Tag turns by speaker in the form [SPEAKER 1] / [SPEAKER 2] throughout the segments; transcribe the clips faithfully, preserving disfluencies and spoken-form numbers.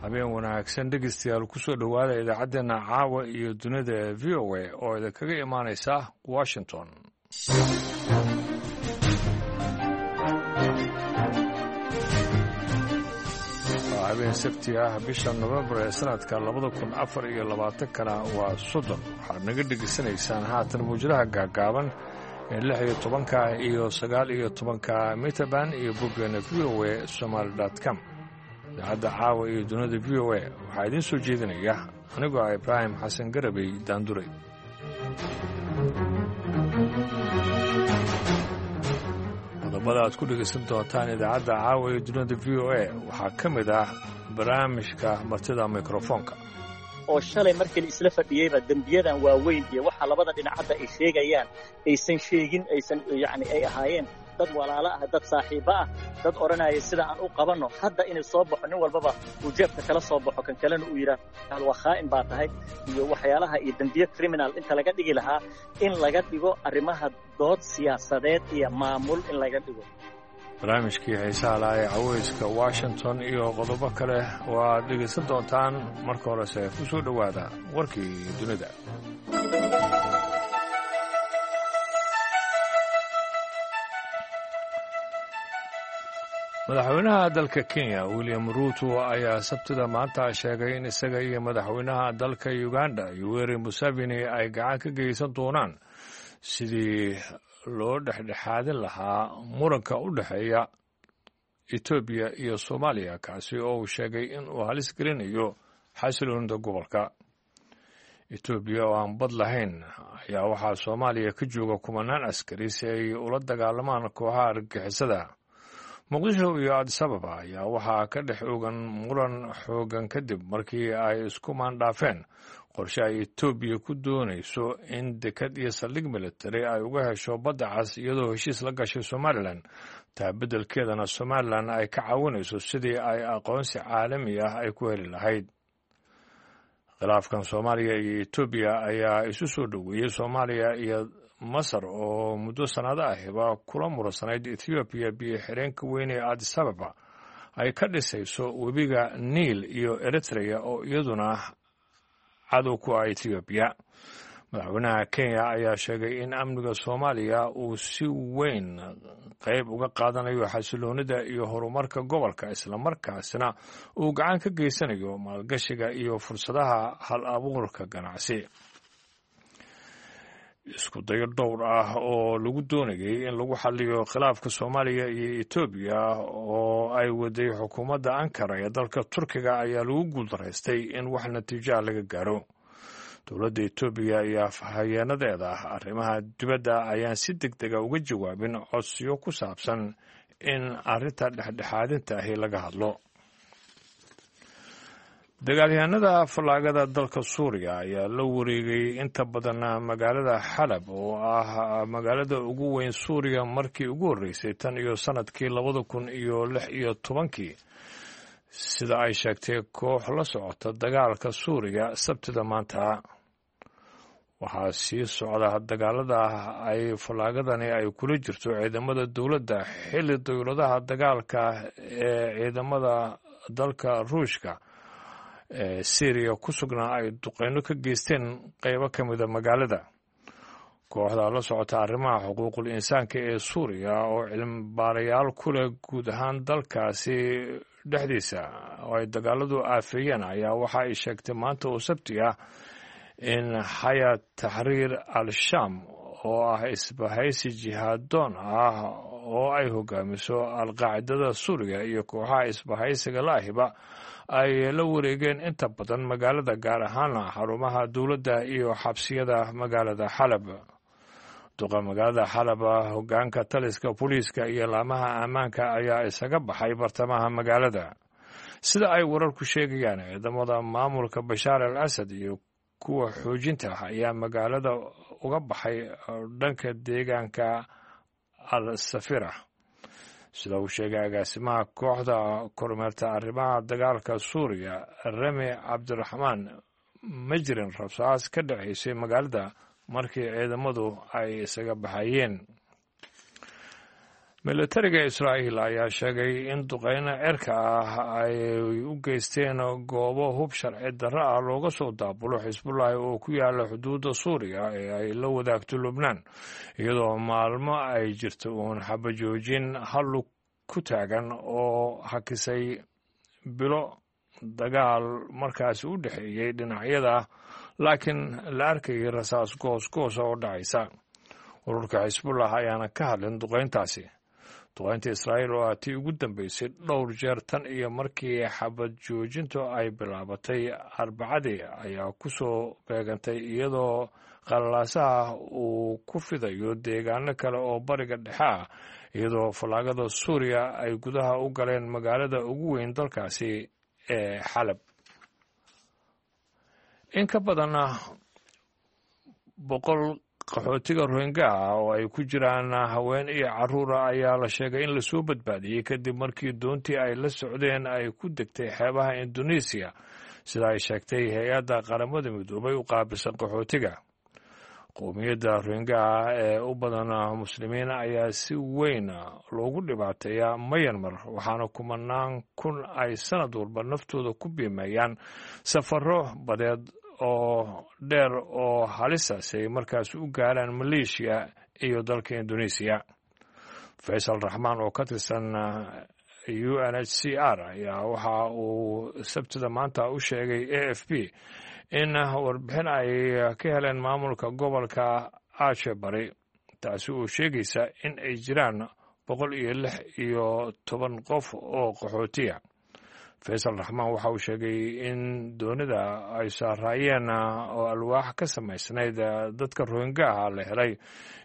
[SPEAKER 1] Habeen wanaagsan, dhegeystayaal, kusoo dhowaada idaacaddeenna caawa iyo dunida ee V O A oo idinkaga imaanaysa Washington. Waa habeen Sabti ah, bisha Novembar ee sanadka labada kun afar iyo labaatankana waa soddon. Waxaad naga dhegeysanaysaan haatan muwjadaha gaagaaban ee lix iyo tobanka iyo sagaal iyo tobanka mitaban iyo boggeena V O A somaali com. Idaacadda caawa iyo dunida V O A waxaa idiin soo jeedinaya anigoo ah Ibraahim Xasan Garabey Daanduray. Qodobada aad ku dhegaysan doontaan idaacadda caawa iyo dunida V O A waxaa ka mid ah barnaamijka martida mikrofoonka,
[SPEAKER 2] oo shalay markii la isla fadhiyeyba dembiyadan waaweyn iyo waxa labada dhinacadda ay sheegayaan aysan sheegin, aysan yacni ay ahaayeen dad walaalo ah, dad saaxiibo ah, dad odhanaya sida aan u qabanno. Hadda inay soo baxo nin walbaba uu jeebka kala soo baxo, kan kalena uu yidhaah waa khaa'in baa tahay, iyo waxyaalaha iyo dembiyo criminal inta laga dhigi lahaa in laga dhigo arrimaha dood siyaasadeed iyo maamul in laga dhigo.
[SPEAKER 1] Barnaamijkii xiisaha lahaa ee caweyska Washington iyo qodobo kale oo aad dhegaysan doontaan. Marka horese ku soo dhowaada warkii dunida. Madaxweynaha dalka Kenya William Ruto ayaa Sabtida maanta sheegay in isaga iyo madaxweynaha dalka Uganda Yoweri Museveni ay gacan ka geysan doonaan sidii loo dhexdhexaadin lahaa muranka u dhexeeya Etoobiya iyo Soomaaliya, kaasi oo uu sheegay in uu halis gelinayo xasiloonida gobolka. Etoobiya oo aan bad lahayn ayaa waxaa Soomaaliya ka jooga kumanaan askari si ay ula dagaalamaan kooxaha argagixisada. Muqdisho iyo Addis Ababa ayaa waxaa ka dhex oogan muran xoogan kadib markii ay isku maandhaafeen qorshe ay Etoobiya ku doonayso in dekad iyo saldhig militari ay uga hesho badda cas, iyadoo heshiis la gashay Somalilan, taa beddelkeedana Somalilan ay ka caawinayso sidii ay aqoonsi caalami ah ay ku heli lahayd. Khilaafkan Soomaaliya iyo Etoobiya ayaa isu soo dhoweeyey Soomaaliya iyo Masar oo muddo sanado ahiba kula muransanayd Ethoobiya biyo xireenka weyn ee Addis Ababa ay ka dhisayso webiga Niil, iyo Eritrea oo iyaduna cadow ku ah Ethoobiya. Madaxweynaha Kenya ayaa sheegay in amniga Soomaaliya uu si weyn qayb uga qaadanayo xasiloonida iyo horumarka gobolka, islamarkaasna uu gacan ka geysanayo maalgashiga iyo fursadaha hal abuurka ganacsi. Isku dayo dhowr ah oo lagu doonayay in lagu xaliyo khilaafka Soomaaliya iyo Etoobiya oo ay waday xukuumadda Ankara ee dalka Turkiga ayaa lagu guuldaraystay in wax natiijoa laga gaaro. Dowladda Etoobiya iyo afhayeenadeeda arrimaha dibadda ayaan si deg dega uga jawaabin codsiyo ku saabsan in arrinta dhexdhexaadinta ahi laga hadlo. Dagaalyahanada fallaagada dalka Suuriya ayaa la wareegay inta badan magaalada Xalab oo ah magaalada ugu weyn Suuriya markii ugu horreysay tan iyo sanadkii labada kun iyo lix iyo tobankii, sida ay sheegtay koox la socota dagaalka Suuriya Sabtida maanta. Waxaa sii socda dagaalada ay fallaagadani ay kula jirto ciidamada dowladda, xilli dowladaha dagaalka ee ciidamada dalka Ruushka ee Syriya ku sugnaa ay duqeyno ka geysteen qeybo ka mida magaalada. Kooxda la socota arrimaha xuquuqul insaanka ee Suuriya oo cilmibaarayaal ku leh guud ahaan dalkaasi dhexdiisa oo ay dagaaladu aafeeyeen ayaa waxa ay sheegtay maanta oo Sabti ah in Xayaat Taxriir al-Shaam oo ah isbahaysi jihaadoon ah oo ay hogaamiso Alqaacidada Suuriya iyo kooxaha isbahaysiga laahiba ay la wareegeen inta badan magaalada, gaar ahaana xarumaha dowladda iyo xabsiyada magaalada Xalab. Duqa magaalada Xalab, hogaanka taliska booliiska iyo laamaha ammaanka ayaa isaga baxay bartamaha magaalada. Sida ay wararku sheegayaan, ciidamada maamulka Bashaar al Asad iyo kuwa xoojinta ah ayaa magaalada uga baxay dhanka deegaanka Al Safira. Sida uu sheegay agaasimaha kooxda kormeerta arrimaha dagaalka Suuriya Rami Cabdiraxmaan, ma jirin rabsaas ka dhaceysay magaalada markii ciidamadu ay isaga baxayeen. Militariga Israa'iil ayaa sheegay in duqeyno cirka ah ay u geysteen goobo hub sharci darro ah looga soo daabulo Xisbullahi oo ku yaala xuduudda Suuriya ee ay la wadaagto Lubnaan, iyadoo maalmo ay jirto uun xabajoojin hallug ku taagan oo hakisay bilo dagaal markaasi u dhexeeyey dhinacyada, laakiin la arkayay rasaas goos goosa oo dhacaysa. Ururka Xisbullah ayaana ka hadlin duqeyntaasi. Duqeynta Israa'iil oo ah tii ugu dambeysay dhowr jeer tan iyo markii xabad joojintu ay bilaabatay Arbacadii ayaa ku soo beegantay iyadoo qalalaasaha uu ku fidayo deegaano kale oo Bariga Dhexe ah, iyadoo fallaagada Suuriya ay gudaha u galeen magaalada ugu weyn dalkaasi ee Xalab. In ka badan boqol qaxootiga Rohingya ah oo ay ku jiraan haween iyo carruura ayaa la sheegay in lasoo badbaadiyey kadib markii doontii ay la socdeen ay ku degtay xeebaha Indonesiya, sida ay sheegtay hay-adda Qaramada Midoobay u qaabilsan qaxootiga. Qowmiyadda Rohingyaha ee u badan Muslimiin ayaa si weyn loogu dhibaateeyaa Mayanmar, waxaana kumanaan kun ay sanad walba naftooda ku biimeeyaan safaro badeed oo dheer oo halisaas ay markaas u gaaraan Maleeshiya iyo dalka Indonesiya. Faysal Raxmaan oo ka tirsan U N H C R ayaa waxa uu Sabtida maanta u sheegay A F P in warbixin ay ka heleen maamulka gobolka Ache Bari, taasi oo sheegaysa in ay jiraan boqol iyo lix iyo toban qof oo qaxootiya. Faysal Raxmaan waxa uu sheegay in doonida ay saaraayeen oo alwaax ka samaysnayd dadka Rohingyaha la helay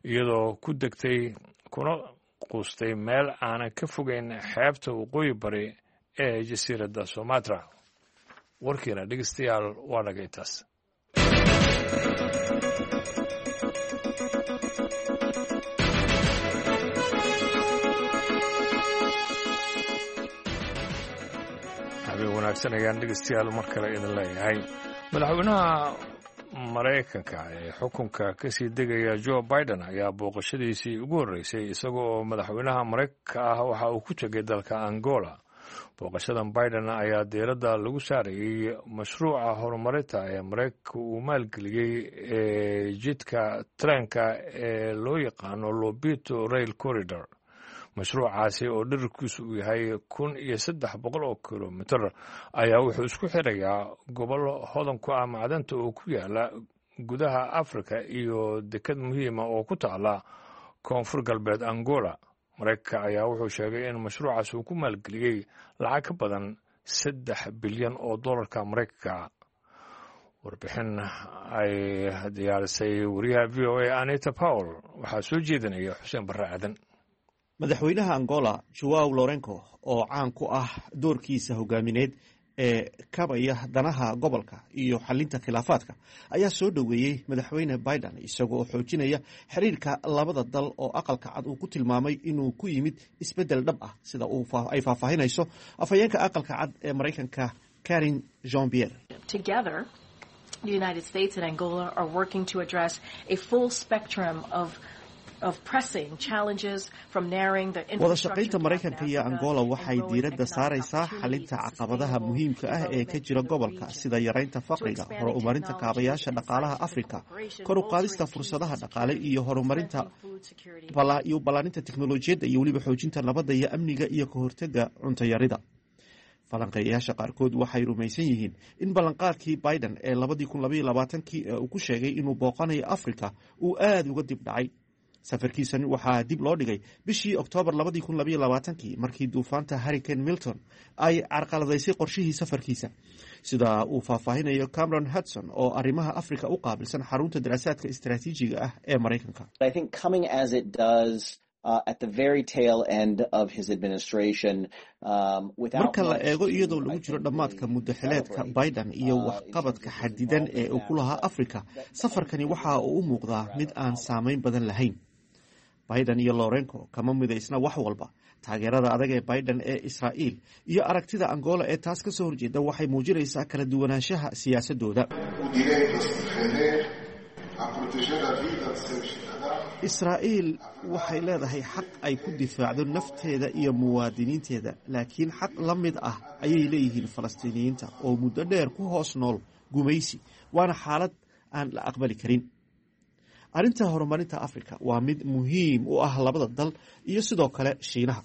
[SPEAKER 1] iyadoo ku degtay kuna quustay meel aanan ka fogeyn xeebta waqooyi bari ee jasiiradda Sumatra. Warkiina, dhegeystayaal, waa naga intaas. Habeen wanaagsan ayaan, dhegeystayaal, mar kale idin leeyahay. Madaxweynaha Maraykanka ee xukunka kasii degaya Joe Biden ayaa booqashadiisii ugu horreysay isaga oo madaxweynaha Maraykanka ah waxa uu ku tegay dalka Angola. Booqashadan Biden ayaa diiradda lagu saarayey mashruuca horumarinta ee Maraykanka uu maalgeliyey ee jidka tareenka ee loo yaqaano Lobito Rail Corridor. Mashruucaasi oo dherarkiisu uu yahay kun iyo saddex boqol oo kilomitir ayaa wuxuu isku xirayaa gobollo hodan ku ah macdanta oo ku yaala gudaha Afrika iyo dekad muhiima oo ku taala koonfur galbeed Angola. Maraykanka ayaa wuxuu sheegay in mashruucaas uu ku maalgeliyey lacag ka badan saddex bilyan oo dollarka Maraykanka. Warbixin ay diyaarisay wariyaha V O A Anita Powell waxaa soo jeedinaya Xuseen Barre Aadan.
[SPEAKER 3] Madaxweynaha Angola Joao Lorenco, oo caan ku ah doorkiisa hogaamineed ee kabaya danaha gobolka iyo xalinta khilaafaadka, ayaa soo dhoweeyey Madaxweyne Biden, isagoo xoojinaya xiriirka labada dal oo Aqalka Cad uu ku tilmaamay inuu ku yimid isbeddel dhab ah, sida ay faahfaahinayso afhayeenka Aqalka Cad ee Maraykanka Karin Jean Pierre.
[SPEAKER 4] The United States and Angola are working to address a full spectrum of
[SPEAKER 3] Wada shaqaynta Maraykanka iyo Angola waxay diiradda saaraysaa xalinta caqabadaha muhiimka ah ee ka jira gobolka, sida yaraynta faqriga, horumarinta kaabayaasha dhaqaalaha Afrika, kor u qaadista fursadaha dhaqaale iyo horumarinta iyo ballaarinta teknolojiyadda, iyo weliba xoojinta nabadda iyo amniga iyo ka hortega cuntayarida. Falanqeeyayaasha qaarkood waxay rumaysan yihiin in ballanqaadkii Biden ee labadii kun labaiyo labaatankii ee uu ku sheegay inuu booqanayo Afrika uu aada uga dib dhacay. Safarkiisan waxaa dib loo dhigay bishii Oktoobar labadii kun labaiyo labaatankii, markii duufaanta Hurricane Milton ay carqaladaysay qorshihii safarkiisa, sida uu faahfaahinayo Cameron Hudson oo arrimaha Africa u qaabilsan xarunta daraasaadka istaraatiijiga ah ee Maraykanka. Marka la eego iyadoo lagu jiro dhammaadka muddaxileedka Biden iyo waxqabadka xadidan ee uu ku lahaa Africa, safarkani waxa uu u muuqdaa mid aan saameyn badan lahayn. Biden iyo Lorenco kama midaysna wax walba. Taageerada adag ee Biden ee Israa'iil iyo aragtida Angola ee taas ka soo horjeeda waxay muujinaysaa kala duwanaanshaha siyaasadooda. Israa'iil waxay leedahay xaq ay ku difaacdo nafteeda iyo muwaadiniinteeda, laakiin xaq la mid ah ayay leeyihiin Falastiiniyiinta oo muddo dheer ku hoos nool gumaysi, waana xaalad aan la aqbali karin. Arrinta horumarinta Afrika waa mid muhiim u ah labada dal iyo sidoo kale Shiinaha.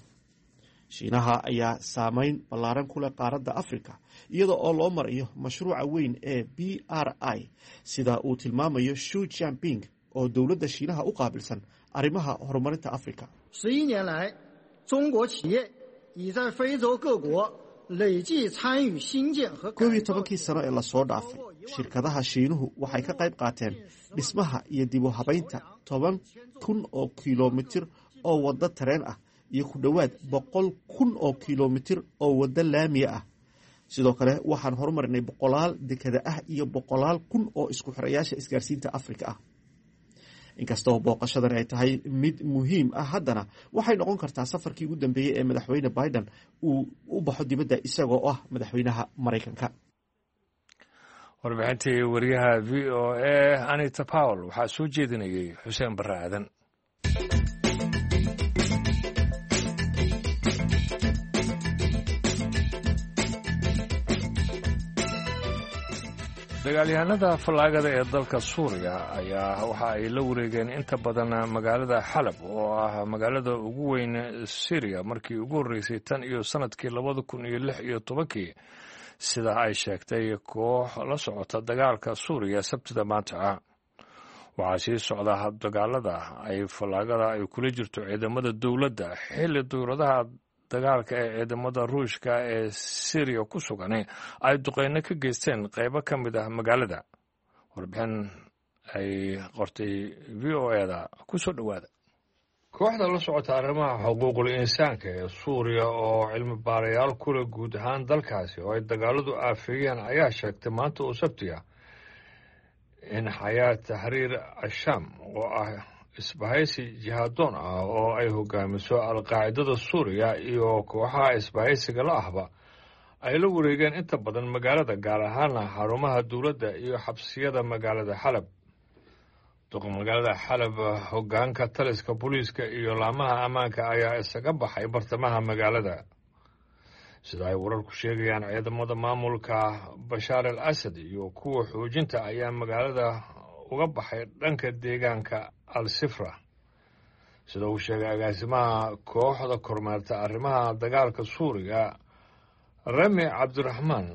[SPEAKER 3] Shiinaha ayaa saameyn ballaaran ku leh qaaradda Afrika iyada oo loo marayo mashruuca weyn ee B R I, sida uu tilmaamayo Xi Jinping oo dowladda Shiinaha u qaabilsan arrimaha horumarinta Afrika.
[SPEAKER 5] 十一年来，中国企业已在非洲各国累计参与新建和
[SPEAKER 3] Koob iyo tobankii sano ee lasoo dhaafay, shirkadaha Shiinuhu waxay ka qayb qaateen dhismaha iyo dib u habaynta toban kun oo kilomitir oo waddo tareen ah iyo ku dhowaad boqol kun oo kilomitir oo waddo laamiya ah. Sidoo kale waxaan horumarinay boqolaal dekada ah iyo boqolaal kun oo isku xirayaasha isgaarsiinta Afrika ah. Inkastoo booqashadan ay tahay mid muhiim ah, haddana waxay noqon kartaa safarkii ugu dambeeyey ee Madaxweyne Biden uu u baxo dibadda isagoo ah madaxweynaha Maraykanka.
[SPEAKER 1] Warbixintii wariyaha V O A Anita Powell waxaa soo jeedinayay Xuseen Barre Aadan. Dagaalyahanada fallaagada ee dalka Suuriya ayaa waxa ay la wareegeen inta badan magaalada Xalab oo ah magaalada ugu weyn Syriya markii ugu horreysay tan iyo sanadkii labada kun iyo lix iyo tobankii, sida ay sheegtay koox la socota dagaalka Suuriya Sabtida maanta ah. Waxaa sii socda dagaalada ay fallaagada ay kula jirto ciidamada dowladda, xilli dowladaha dagaalka ee ciidamada Ruushka ee Syriya ku sugan ay duqeyno ka geysteen qeybo ka mid ah magaalada. Warbixin ay qortay V O A da ku soo dhowaada. Kooxda la socota arrimaha xuquuqul insaanka ee Suuriya oo cilmi baarayaal kule guud ahaan dalkaasi oo ay dagaaladu aafeeyeen ayaa sheegtay maanta oo Sabti ah in Xayaat Taxriir Ashaam, oo ah isbahaysi jihaadoon ah oo ay hogaamiso Alqaacidada Suuriya iyo kooxaha isbahaysiga la ahba, ay la wareegeen inta badan magaalada, gaar ahaana xarumaha dowladda iyo xabsiyada magaalada Xalab. Duqa magaalada Xalab, hogaanka taliska booliiska iyo laamaha ammaanka ayaa isaga baxay bartamaha magaalada. Sida ay wararku sheegayaan, ciidamada maamulka Bashaar al Asad iyo kuwa xoojinta ayaa magaalada uga baxay dhanka deegaanka Al Sifra. Sida uu sheegay agaasimaha kooxda kormeerta arrimaha dagaalka Suuriya, Rami Cabdiraxmaan,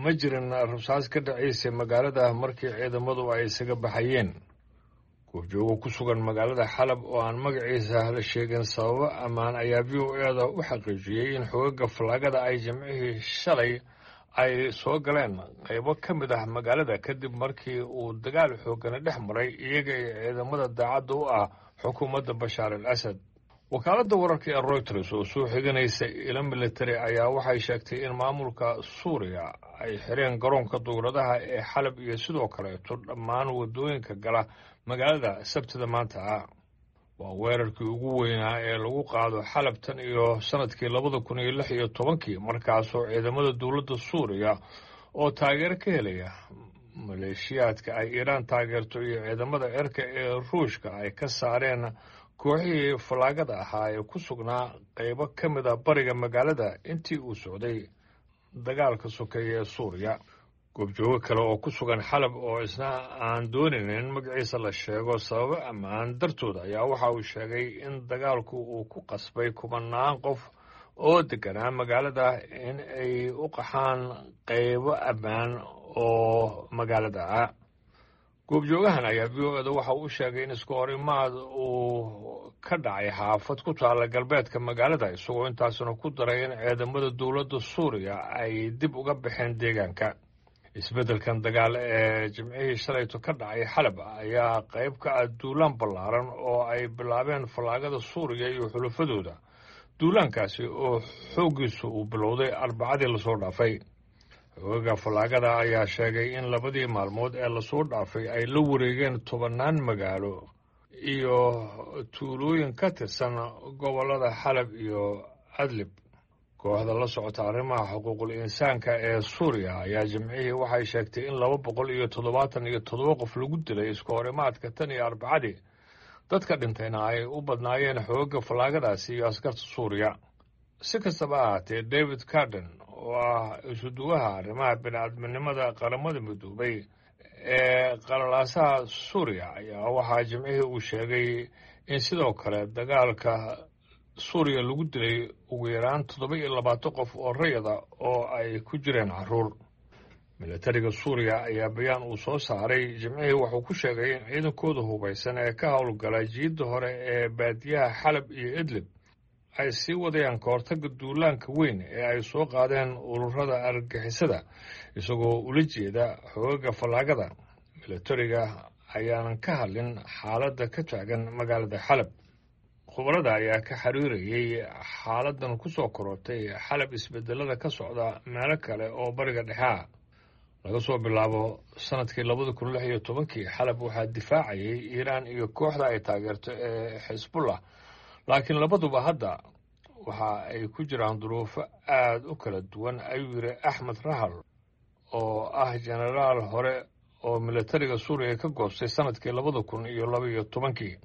[SPEAKER 1] ma jirin rasaas ka dhacaysay magaalada markii ciidamadu ay isaga baxayeen. Goobjoogo ku sugan magaalada Xalab oo aan magaciisa la sheegin sababo ammaan ayaa V O A da u xaqiijiyey in xogaga fallaagada ay Jimcihii shalay ay soo galeen qaybo ka mid ah magaalada kadib markii uu dagaal xoogani dhex maray iyaga iyo ciidamada daacadda u ah xukuumadda Bashaar al Asad. Wakaaladda wararka ee Reuters oo soo xiganaysa ilo military ayaa waxay sheegtay in maamulka Suuriya ay xireen garoonka dowladaha ee Xalab iyo sidoo kaleeto dhammaan waddooyinka gala magaalada Sabtida maanta ah. Waa weerarkii ugu weynaa ee lagu qaado Xalab tan iyo sanadkii labada kun iyo lix iyo tobankii, markaasoo ciidamada dowladda Suuriya oo taageero ka helaya maleeshiyaadka ay Iiraan taageerto iyo ciidamada cirka ee Ruushka ay ka saareen kooxihii fallaagada ahaa ee ku sugnaa qaybo ka mid ah bariga magaalada intii uu socday dagaalka sokeeye ee Suuriya. Goobjoogo kale oo ku sugan Xalab oo isna aan doonayn in magaciisa la sheego sababo ammaan dartood ayaa waxa uu sheegay in dagaalku uu ku qasbay kumanaan qof oo deganaa magaalada in ay u qaxaan qaybo ammaan oo magaalada ah. Goobjoogahan ayaa V O A da waxa uu sheegay in isku horimaad uu ka dhacay xaafad ku taalla galbeedka magaalada, isagoo intaasna ku daray in ciidamada dowladda Suuriya ay dib uga baxeen deegaanka. Isbeddelkan dagaal ee Jimcihii shalayto ka dhacay Xalab ayaa qayb ka ah duulaan ballaaran oo ay bilaabeen fallaagada Suuriya iyo xulafadooda, duulaankaasi oo xooggiisu uu bilowday Arbacadii lasoo dhaafay. Xoogaga fallaagada ayaa sheegay in labadii maalmood ee lasoo dhaafay ay la wareegeen tobannaan magaalo iyo tuulooyin ka tirsan gobollada Xalab iyo Adlib. Kooxda la socota arrimaha xuquuqul insaanka ee Suuriya ayaa Jimcihii waxay sheegtay in laba boqol iyo toddobaatan iyo toddoba qof lagu dilay isku horimaadka tan iyo Arbacadii. Dadka dhintayna ay u badnaayeen xoogga fallaagadaasi iyo askarta Suuriya. Si kastaba ahaatee, David Carden oo ah isuduwaha arrimaha bini'aadminimada Qaramada Midoobay ee qalalaasaha Suuriya ayaa waxaa Jimcihii uu sheegay in sidoo kale dagaalka Suuriya lagu dilay ugu yaraan toddoba iyo labaatan qof oo rayada oo ay ku jireen carruur. Milatariga Suuriya ayaa bayaan uu soo saaray Jimcihii wuxuu ku sheegay in ciidankooda hubaysan ee ka howlgala jiidda hore ee baadiyaha Xalab iyo Idlib ay sii wadayaan kahortagga duulaanka weyn ee ay soo qaadeen ururada argagixisada, isagoo ula jeeda xoogaga fallaagada. Milatariga ayaanan ka hadlin xaaladda ka taagan magaalada Xalab. Khubarada ayaa ka xiriirayay xaaladan ku soo korortay Xalab isbedelada ka socda meelo kale oo Bariga Dhexe ah. Laga soo bilaabo sanadkii labada kun lix iyo tobankii, Xalab waxaa difaacayay Iiraan iyo kooxda ay taageerto ee Xisbullah, laakiin labaduba hadda waxa ay ku jiraan duruufo aada u kala duwan, ayuu yidhi Axmed Rahal oo ah jenaraal hore oo milatariga Suuriya ka goostay sanadkii labada kun iyo laba iyo tobankii.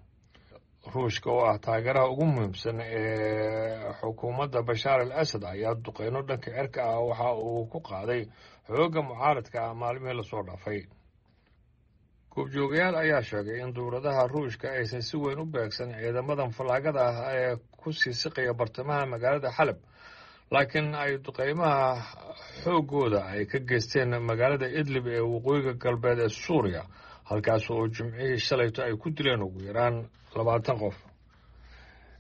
[SPEAKER 1] Ruushka oo ah taageeraha ugu muhiimsan ee xukuumadda Bashaar al Asad ayaa duqeyno dhanka cirka ah waxa uu ku qaaday xoogga mucaaradka ah maalmihii lasoo dhaafay. Goobjoogayaal ayaa sheegay in dowladaha Ruushka aysan si weyn u beegsan ciidamadan fallaagada ah ee ku sii siqaya bartamaha magaalada Xalab, laakiin ay duqeymaha xooggooda ay ka geysteen magaalada Idlib ee waqooyiga galbeed ee Suuriya, halkaas oo Jimcihii shalayto ay ku dileen ugu yaraan labaatan qof.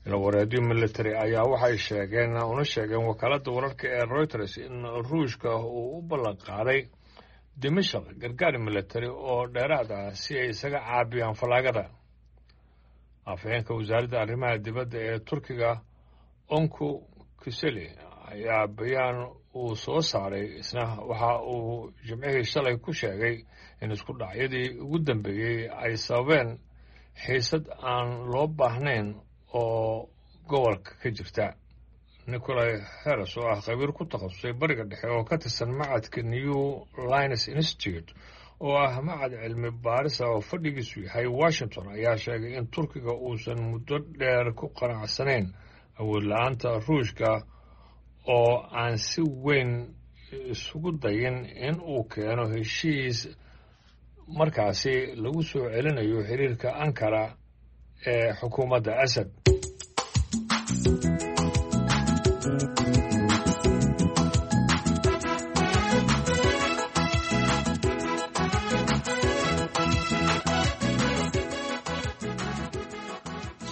[SPEAKER 1] Ilawareedyo military ayaa waxay sheegeen una sheegeen wakaaladda wararka ee Reuters in Ruushka uu u ballan qaaday Dimashaq gargaar military oo dheeraad ah si ay isaga caabiyaan fallaagada. Afhayeenka wasaaradda arrimaha dibadda ee Turkiga, Onku Kuseli, ayaa bayaan uu soo saaray isna waxa uu Jimcihii shalay ku sheegay in isku dhacyadii ugu dambeeyey ay sababeen xiisad aan loo baahnayn oo gobolka ka jirta. Nicolai Harris oo ah khabiir ku takhasusay Bariga Dhexe oo ka tirsan macadka New Lines Institute oo ah macad cilmi baarisa oo fadhigiisu yahay Washington ayaa sheegay in Turkiga uusan muddo dheer ku qanacsanayn awood la-aanta Ruushka oo aan si weyn isugu dayin in uu keeno heshiis markaasi lagu soo celinayo xiriirka Ankara ee xukuumadda Asad.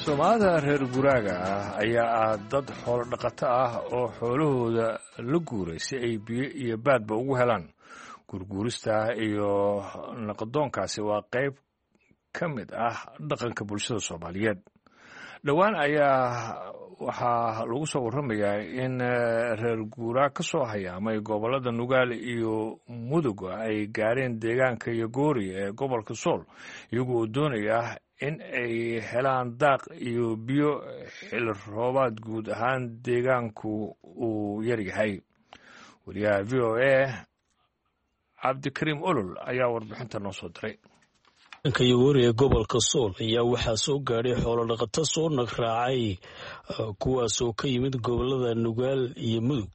[SPEAKER 1] Soomaalida reer guraaga ah ayaa ah dad xoolo dhaqato ah oo xoolahooda la guuray si ay biyo iyo baadba ugu helaan. Guurguurista iyo naqdoonkaasi waa qayb ka mid ah dhaqanka bulshada Soomaaliyeed. Dhowaan ayaa waxaa lagu soo warramayaa in reer guuraa ka soo hayaamay gobollada Nugaal iyo Mudug ay gaareen deegaanka Yogoori ee gobolka Sool, iyagu oo doonaya in ay helaan daaq iyo biyo xilli roobaad guud ahaan deegaanku uu yaryahay. Wariyaha V O A Cabdikariim Olol ayaa warbixinta noo soo diray.
[SPEAKER 6] Ka Yogoori ee gobolka Sool ayaa waxaa soo gaadhay xoolodhaqato soo nagraacay, kuwaasoo ka yimid gobolada Nugaal iyo Mudug.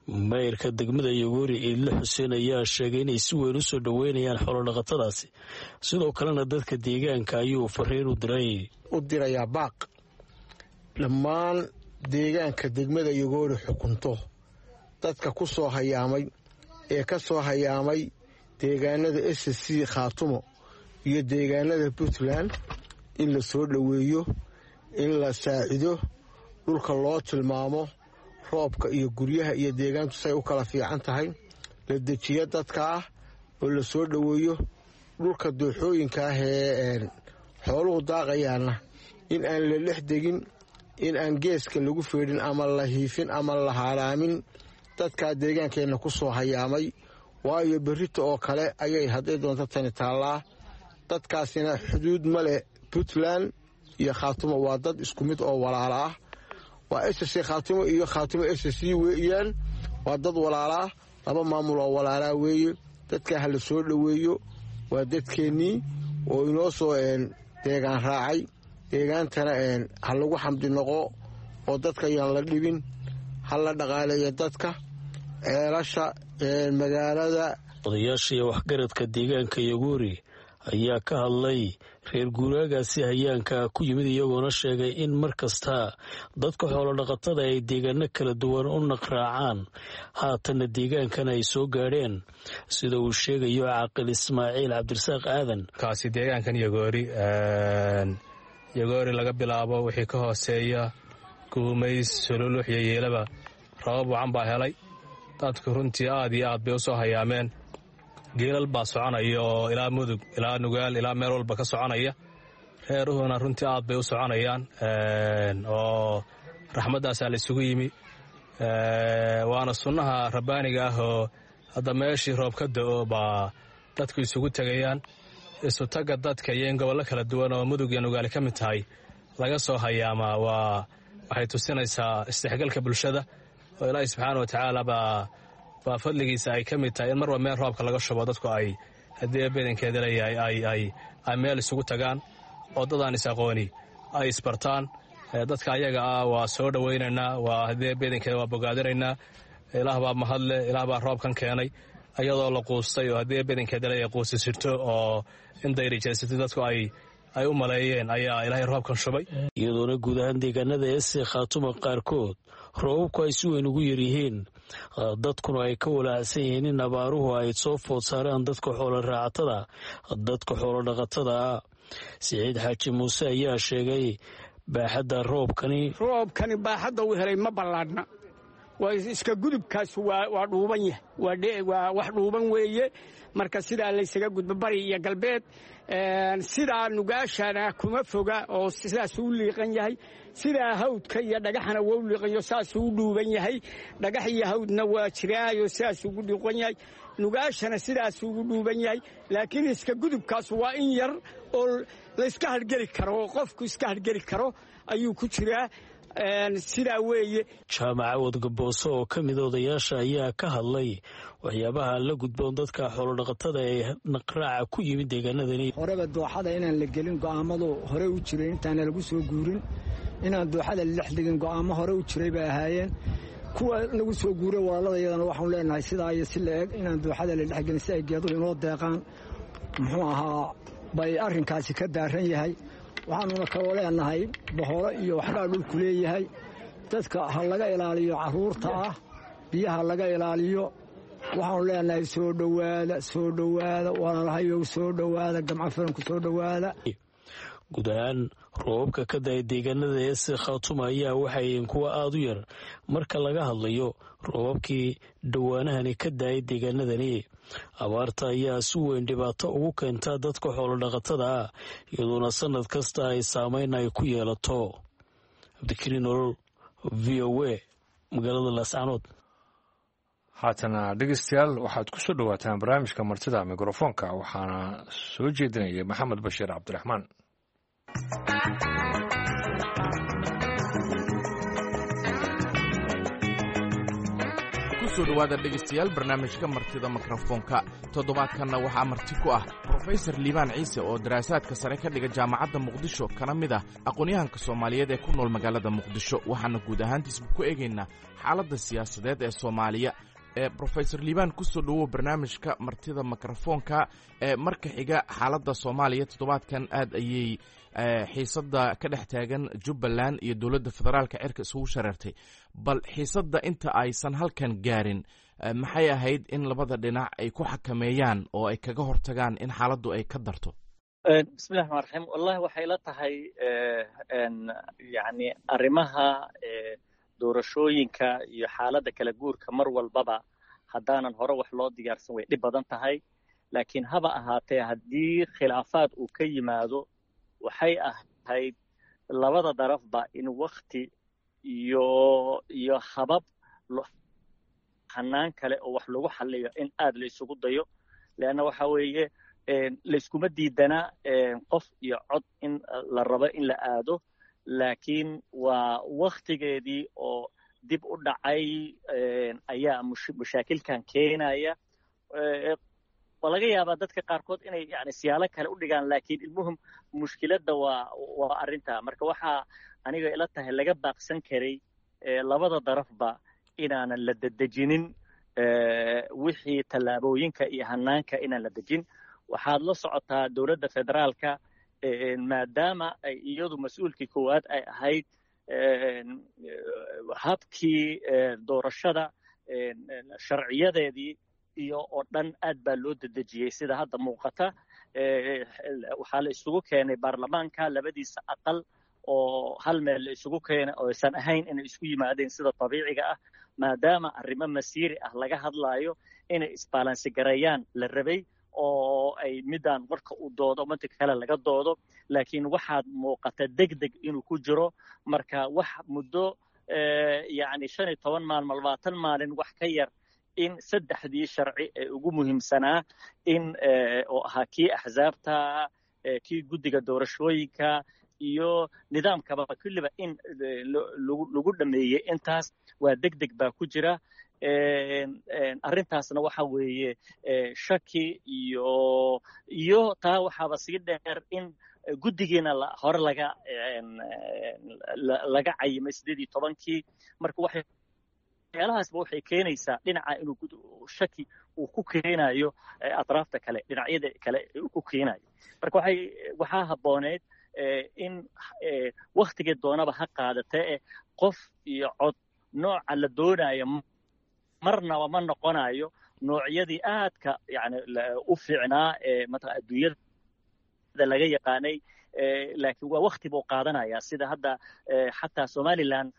[SPEAKER 6] Mayrka degmada Yogoori, Iidle Xuseen, ayaa sheegay inay si weyn u soo dhoweynayaan xoolodhaqatadaasi, sidoo kalena dadka deegaanka ayuu fariin u diray.
[SPEAKER 7] U dirayaa baaq dhammaan deegaanka degmada Yogoori xukunto dadka ku soo hayaamay ee ka soo hayaamay deegaanada S C Khaatumo iyo deegaanada Puntland in la soo dhoweeyo, in la saacido, dhulka loo tilmaamo, roobka iyo guryaha iyo deegaantu say u kala fiican tahay, la dejiyo dadka ah oo la soo dhoweeyo. Dhulka dooxooyinka ah ee xooluhu daaqayaana in aan la dhex degin, in aan geeska lagu feedhin ama la hiifin ama la haaraamin dadkaa deegaankeenna ku soo hayaamay, waayo berrita oo kale ayay hadday doonto tani taallaa. Dadkaasina xuduud ma leh Puntland iyo Khaatumo, waa dad isku mid oo walaala ah. Waa S C Khaatumo iyo Khaatumo S C weeyaan, waa dad walaalaa, laba maamul oo walaalaa weeye. Dadkaa ha la soo dhoweeyo, waa dadkeennii oo inoo soo Deegaan raacay deegaantana ha lagu xamdi noqo oo dadka ayaan la dhibin, ha la dhaqaaleeyo dadka ceelasha magaalada.
[SPEAKER 6] Odayaasha iyo waxgaradka deegaanka Yagoori ayaa ka hadlay reer guuraagaasi hayaanka ku yimid, iyagoona sheegay in mar kasta dadka xoolodhaqatada ay deegaano kala duwan u naqraacaan, haatanna deegaankan ay soo gaadheen, sida uu sheegayo Caaqil Ismaaciil Cabdirasaaq Aadan.
[SPEAKER 8] Kaasi deegaankan Yagoori, Yagoori laga bilaabo wixii ka hooseeya Guumays, Sololux iyo Yeelaba, rabab wacan baa helay. Dadku runtii aad iyo aad bay u soo hayaameen. Geelal baa soconaya oo ilaa Mudug, ilaa Nugaal, ilaa meel walba ka soconaya. Reeruhuna runtii aad bay u soconayaan oo raxmaddaasaa la isugu yimi, waana sunnaha rabbaaniga ah oo hadda meeshii roob ka da'o baa dadku isugu tegayaan. Isu tagga dadka iyo in gobollo kala duwan oo Mudug iyo Nugaali ka mid tahay laga soo hayaamaa waa waxay tusinaysaa isdhexgalka bulshada, oo Ilaahi subxaana wa tacaala baa baa fadligiisa ay ka mid tahay in marba meel roobka laga shubo dadku ay haddii badankeeda leeyahay ay ay ay meel isugu tagaan oo dadaan is-aqooni ay isbartaan. Dadka ayaga ah waa soo dhowaynaynaa, waa haddii badankeeda waa bogaadinaynaa. Ilaah baa mahadle, Ilaah baa roobkan keenay iyadoo la quustay oo haddii badankeeda leeyahay quusi sirto oo in dayrijeysatay dadku ay ay u maleeyeen ayaa Ilaahay roobkan shubay.
[SPEAKER 6] Iyadoona guud ahaan deegaanada S S C Khaatuma qaarkood roobabku ay si weyn ugu yaryihiin, dadkuna ay ka walaacsan yihiin in abaaruhu ay soo food saaraan dadka xoolo raacatada, dadka xoolo dhaqatada ah. Siciid Xaaji Muuse ayaa sheegay baaxadda roobkani.
[SPEAKER 9] Roobkani baaxadda uu helay ma ballaadhna, waa iska gudubkaas, waa dhuuban yahay, waa wax dhuuban weeye. Marka sidaa laysaga gudbo bari iyo galbeed, sidaa Nugaashana kuma foga oo sidaasuu u liiqan yahay, sidaa hawdka iyo dhagaxana waa u liiqanyo, saasuu u dhuuban yahay. Dhagax iyo hawdna waa jiraayo, sidaasuu ugu dhiiqan yahay. Nugaashana sidaasuu ugu dhuuban yahay, laakiin iska gudubkaas waa in yar oo layska hargeli karo oo qofku iska hargeli karo ayuu ku jiraa, sidaa weeye.
[SPEAKER 6] Jaamaca Wadgaboose oo ka mid odayaasha ayaa ka hadlay waxyaabaha la gudboon dadka xoolodhaqatada ee naqraaca ku yimid deegaanadani.
[SPEAKER 10] Horeba dooxada inaan la gelin go'aamadu hore u jiray, intaana lagu soo guurin inaan dooxada la dhex dhigin go'aamo hore u jiray bay ahaayeen. Kuwa lagu soo guuray walaalada iyadana waxaanu leenahay sidaa iyo si la eg inaan dooxada la dhexgelin si ay geeduhu inoo deeqaan, muxuu ahaa, bay arrinkaasi ka daaran yahay. Waxaanuna kaloo leenahay boholo iyo waxbaa dhulku leeyahay, dadka ha laga ilaaliyo, carruurta ah biyaha laga ilaaliyo. Waxaanu leenahay soo dhowaada, soo dhowaada walaalahayow, soo dhowaada, gamco firanku soo dhowaada.
[SPEAKER 6] Guud ahaan roobabka ka da'ay deegaanada S S C Khaatuma ayaa waxay kuwa aada u yar marka laga hadlayo roobabkii dhowaanahani ka da'ay deegaanadani. Abaarta ayaa si weyn dhibaato ugu keenta dadka xoolodhaqatada ah, iyadoona sanad kasta ay saameyn ay ku yeelato. Cabdikariin Nolol, V O A, magaalada Laascanood.
[SPEAKER 1] Haatana dhegeystayaal, waxaad ku soo dhowaataan barnaamijka martida mikrofoonka, waxaana soo jeedinaya Maxamed Bashiir Cabdiraxmaan.
[SPEAKER 11] Kusoo dhawaada dhegaystayaal barnaamijka martida mikrofoonka. Toddobaadkanna waxaa marti ku ah Brofesor Liibaan Ciise oo daraasaadka sare ka dhiga Jaamacadda Muqdisho, kana mid ah aqoon-yahanka Soomaaliyeed ee ku nool magaalada Muqdisho. Waxaana guud ahaantiisba ku eegaynaa xaaladda siyaasadeed ee Soomaaliya. Brofesor Liibaan, kusoo dhowow barnaamijka martida mikrofoonka. Marka xiga, xaaladda Soomaaliya toddobaadkan aad ayay xiisadda ka dhex taagan Jubbaland iyo dowladda federaalka cirka isugu shareertay. Bal xiisadda inta aysan halkan gaarin, maxay ahayd in labada dhinac ay ku xakameeyaan oo ay kaga hortagaan in xaaladdu ay ka darto?
[SPEAKER 2] Bismillahi raxmaan raxiim. Wallahi waxay la tahay, yani, arrimaha doorashooyinka iyo xaaladda kala guurka mar walbaba haddaanan hore wax loo diyaarsan way dhib badan tahay, laakiin haba ahaatee haddii khilaafaad uu ka yimaado, waxay ahayd labada darafba in wakti iyo iyo habab hanaan kale oo wax lagu xalliyo in aad la isugu dayo, leanna waxa weeye layskuma diidanaa qof iyo cod in la rabo in la aado, laakiin waa waktigeedii oo dib u dhacay ayaa mashaakilkan keenaya. Waa laga yaabaa dadka qaarkood inay yani siyaalo kale u dhigaan, laakiin ilmuhum mushkiladda waa waa arrintaa. Marka waxaa aniga ila tahay laga baaqsan karay labada darafba inaanan la dedejinin wixii tallaabooyinka iyo hanaanka inaan la dejin. Waxaad la socotaa dowladda federaalka, maadaama ay iyadu mas-uulkii koowaad ay ahayd habkii doorashada sharciyadeedii iyo oo dhan aad baa loo dedejiyey sida hadda muuqata. Waxaa la isugu keenay baarlamaanka labadiisa aqal oo hal meel la isugu keenay oo aysan ahayn inay isku yimaadeen sida dabiiciga ah, maadaama arrimo masiiri ah laga hadlaayo inay isbaalansi gareeyaan la rabay oo ay midaan warka u doodo midka kale laga doodo. Laakiin waxaad muuqata degdeg inuu ku jiro. Marka wax muddo yacni shan iyo toban maalmo labaatan maalin wax ka yar in saddexdii sharci ee ugu muhiimsanaa in oo ahaa kii axsaabta, kii guddiga doorashooyinka iyo nidaamkaba kulliba in lagu dhameeyey intaas waa degdeg baa ku jira. Arrintaasna waxa weeye shaki iyo iyo taa waxaaba sii dheer in guddigiina hore laga laga cayimay sideed iyo tobankii. Marka waxay waxyaalahaasba waxay keenaysaa dhinaca inuu shaki uu ku keenayo atraafta kale, dhinacyada kale uu ku keenayo. Marka waxay waxaa habbooneyd in waktigii doonaba ha qaadatee qof iyo cod nooca la doonayo marnaba ma noqonayo noocyadii aadka yani u fiicnaa ee mataqaa adduunyada laga yaqaanay, laakiin waa wakti buu qaadanayaa. Sida hadda xataa Somaliland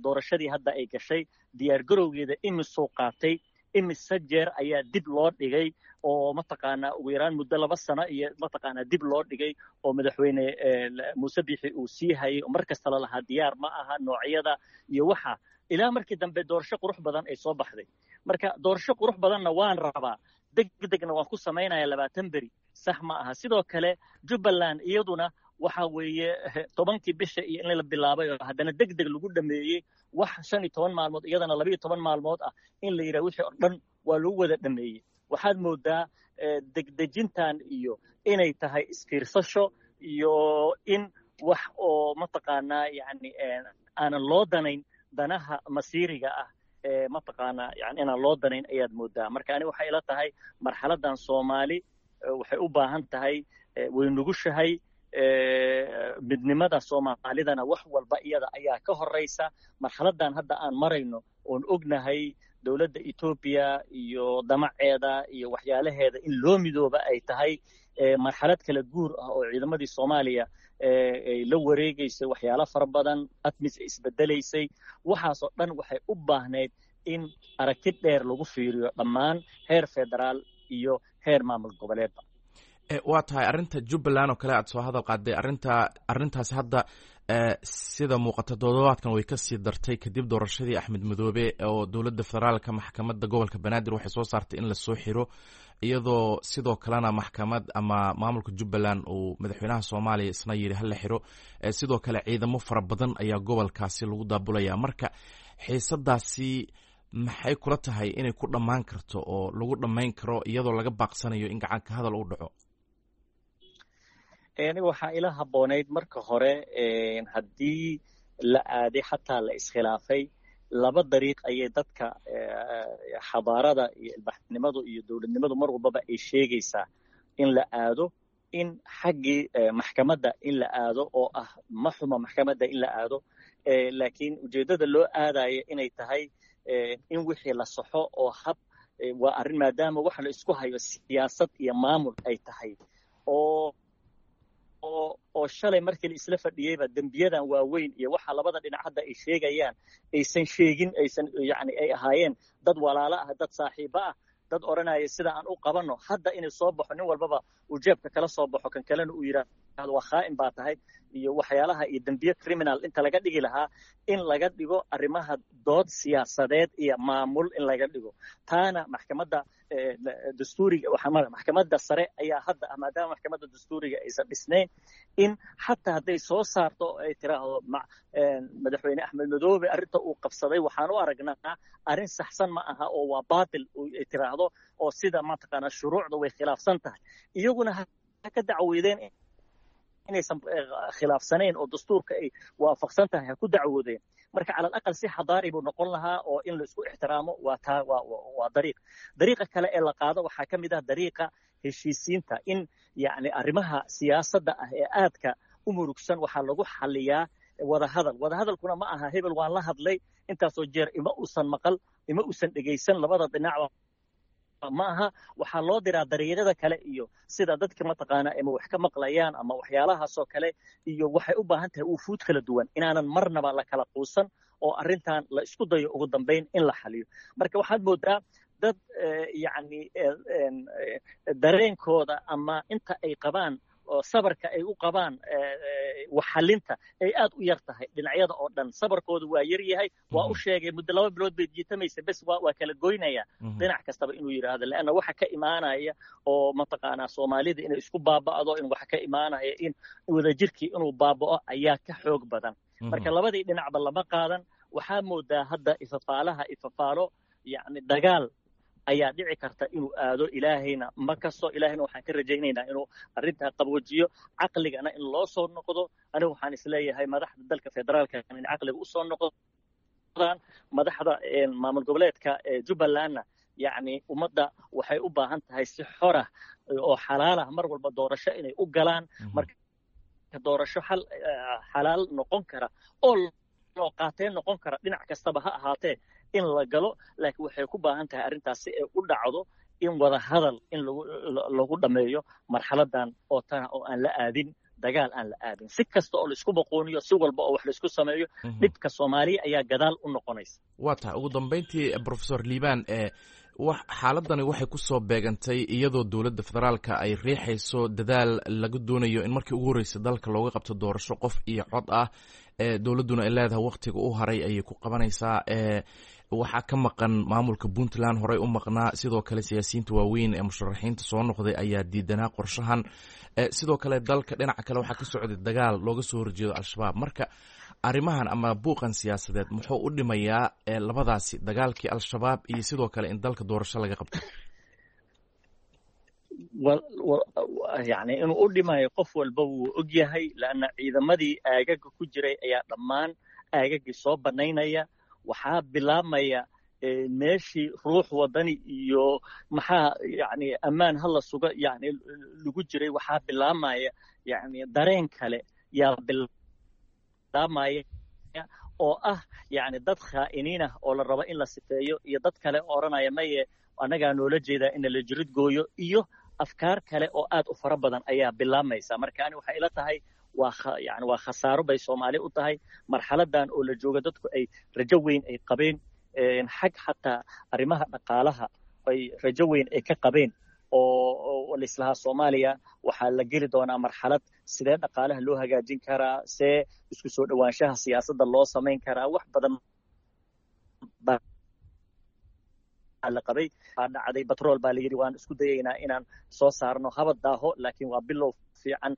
[SPEAKER 2] doorashadii hadda ay gashay diyaargarowgeeda imisuu qaatay, imise jeer ayaa dib loo dhigay oo mataqaanaa ugu yaraan muddo laba sano iyo mataqaanaa dib loo dhigay oo madaxweyne Muuse Biixi uu sii hayay oo mar kasta la lahaa diyaar ma aha noocyada iyo waxa, ilaa markii dambe doorasho qurux badan ay soo baxday. Marka doorasho qurux badanna waan rabaa, degdegna waan ku samaynayaa labaatan beri, sax ma aha. Sidoo kale Jubbaland iyaduna waxa weeye tobankii bisha iyo in la bilaabay oo haddana degdeg lagu dhameeyey wax shan iyo toban maalmood iyadana laba iyo toban maalmood ah in la yidhaha wixii oo dhan waa lagu wada dhameeyey. Waxaad moodaa degdejintan iyo inay tahay isfiirsasho iyo in wax oo mataqaanaa yacni aanan loo danayn danaha masiiriga ah ee mataqaanaa yani inaan loo danayn ayaad moodaa. Marka ani waxay ila tahay marxaladan Soomaali waxay u baahan tahay, way nugushahay, midnimada Soomaalidana wax walba iyada ayaa ka horeysa. Marxaladan hadda aan marayno oon ognahay dowladda Etoobiya iyo damaceeda iyo waxyaalaheeda in loo midooba ay tahay marxalad kala guur ah oo ciidamadii Soomaaliya ay la wareegaysay waxyaalo fara badan, ATMIS ay isbedelaysay, waxaasoo dhan waxay u baahnayd in aragti dheer lagu fiiriyo dhammaan heer federaal iyo heer maamul goboleedba.
[SPEAKER 11] Waa tahay arrinta Jubbaland oo kale aad soo hadal qaaday, arrinta arrintaasi hadda sida muuqata toddobaadkan way kasii dartay kadib doorashadii Axmed Madoobe oo dowladda federaalka maxkamadda gobolka Banaadir waxay soo saartay in lasoo xiro, iyadoo sidoo kalena maxkamad ama maamulka Jubbaland uu madaxweynaha Soomaaliya isna yidhi hala xiro. Sidoo kale ciidamo fara badan ayaa gobolkaasi lagu daabulaya. Marka xiisadaasi maxay kula tahay inay ku dhammaan karto oo lagu dhammayn karo iyadoo laga baaqsanayo in gacanka hadal uu dhaco?
[SPEAKER 2] Aniga waxaa ila habboonayd marka hore haddii la aaday xataa la iskhilaafay laba dariiq ayay dadka xadaarada iyo ilbaxnimadu iyo dowladnimadu mar walbaba ay sheegaysaa in la aado, in xaggii maxkamadda in la aado oo ah ma xuma maxkamadda in la aado, laakiin ujeeddada loo aadayo inay tahay in wixii la saxo oo hab waa arrin maadaama waxa la isku hayo siyaasad iyo maamul ay tahay oo oo shalay markii la isla fadhiyeyba dembiyadan waaweyn iyo waxa labada dhinac hadda ay sheegayaan aysan sheegin, aysan yacni ay ahaayeen dad walaalo ah, dad saaxiibo ah, dad odhanaya sida aan u qabanno. Hadda inay soo baxo nin walbaba uu jeebka kala soo baxo, kan kalena uu yidhaahdo yidhaahdo waa khaa'in baa tahay iyo waxyaalaha iyo dembiye criminal inta laga dhigi lahaa, in laga dhigo arrimaha dood siyaasadeed iyo maamul in laga dhigo. Taana maxkamadda dastuuriga, maxkamadda sare ayaa hadda ah, maadaama maxkamadda dastuuriga aysan dhisnayn, in xataa hadday soo saarto oo ay tiraahdo madaxweyne Axmed Madoobe arrinta uu qabsaday waxaan u aragnaa arrin saxsan ma aha oo waa baatil ay tiraahdo, oo sida mataqaanaa shuruucda way khilaafsan tahay, iyaguna ha ka dacweydeen inaysan khilaafsanayn oo dastuurka ay waafaqsan tahay ha ku dacwoodeen. Marka cala alaqal si xadaari buu noqon lahaa oo in la isku ixtiraamo waa taa, waa waa dariiq. Dariiqa kale ee la qaado waxaa ka mid ah dariiqa heshiisiinta, in yacni arrimaha siyaasadda ah ee aadka u murugsan waxaa lagu xaliyaa wadahadal. Wadahadalkuna ma aha hebel waan la hadlay intaasoo jeer ima uusan maqal, ima uusan dhegaysan, labada dhinacba ma aha. Waxaa loo diraa dariiqyada kale iyo sida dadka mataqaanaa ama wax ka maqlayaan ama waxyaalahaasoo kale, iyo waxay u baahan tahay wufuud kala duwan inaanan marnaba la kala quusan oo arrintan la isku dayo ugu dambayn in la xaliyo. Marka waxaad moodaa dad yacni dareenkooda ama inta ay qabaan oo sabarka ay u qabaan waxxalinta ay aad u yar tahay dhinacyada oo dhan, sabarkoodu waa yar yahay. Waa u sheegay muddo laba bilood bay jiitamaysa, bes waa waa kala goynaya dhinac kastaba inuu yidhaahdo, leanna waxa ka imaanaya oo mataqaanaa Soomaalida inay isku baaba'do, in waxa ka imaanaya in wadajirkii inuu baaba'o ayaa ka xoog badan. Marka labadii dhinacba lama qaadan. Waxaa moodaa hadda ifafaalaha ifafaalo yacni dagaal ayaa dhici karta inuu aado. Ilaahayna ma kasto, ilaahayna waxaan ka rajaynaynaa inuu arrintaa qaboojiyo, caqligana in loo soo noqdo. Anigu waxaan isleeyahay madaxda dalka federaalka in caqliga usoo noqdaan, madaxda maamul goboleedka Jubbalandna yacni ummadda waxay u baahan tahay si xorah oo xalaalah mar walba doorasho inay u galaan. Marka doorasho xal xalaal noqon kara oo loo qaateen noqon kara dhinac kastaba ha ahaatee in la galo, laakiin waxay ku baahan tahay arrintaas si ay u dhacdo in wada hadal in lagu lagu dhammeeyo marxaladan oo tana, oo aan la aadin dagaal, aan la aadin si kasta oo laisku boqooniyo, si walba oo wax laisku sameeyo, dhibka Soomaaliya ayaa gadaal u noqonaysa.
[SPEAKER 11] Waa tahay. Ugu dambeyntii Professor Liibaan, ee wax xaaladani waxay ku soo beegantay iyadoo dowladda federaalka ay riixayso dadaal laga doonayo in markii ugu horreysay dalka looga qabto doorasho qof iyo cod ah, ee dowladduna ay leedahay wakhtiga u haray ayay ku qabanaysaa. Ee waxaa ka maqan maamulka Puntland horey u maqnaa, sidoo kale siyaasiyiinta waaweyn ee musharaxiinta soo noqday ayaa diidanaa qorshahan. Sidoo kale dalka dhinaca kale waxaa ka socday dagaal looga soo horjeedo Al-Shabaab. Marka arrimahan ama buuqan siyaasadeed muxuu u dhimayaa labadaasi dagaalkii Al-Shabaab iyo sidoo kale in dalka doorasho laga qabto?
[SPEAKER 2] Yani inuu u dhimayo qof walba wuu og yahay, leanna ciidamadii aagaga ku jiray ayaa dhammaan aagagii soo bannaynaya. Waxaa bilaabmaya meeshii ruux wadani iyo maxaa yani ammaan hala suga yani lagu jiray, waxaa bilaabmaya yani dareen kale yaa bilaabmaya oo ah yani dad khaa'iniin ah oo la rabo in la sifeeyo, iyo dad kale oo odhanaya maye annagaa noola jeedaa in la jirid gooyo, iyo afkaar kale oo aad u fara badan ayaa bilaabmaysa. Marka ani waxay ila tahay waa yani waa khasaaro bay Soomaali u tahay marxaladan oo la joogo, dadku ay rajo weyn ay qabeen xag xataa arrimaha dhaqaalaha ay rajo weyn ay ka qabeen, oo laislahaa Soomaaliya waxaa la geli doonaa marxalad sidee dhaqaalaha loo hagaajin karaa, see isku soo dhowaanshaha siyaasadda loo samayn karaa, wax badan baa la qabay. Baa dhacday batrool baa la yidhi waan isku dayaynaa inaan soo saarno, haba daaho laakiin waa bilow fiican.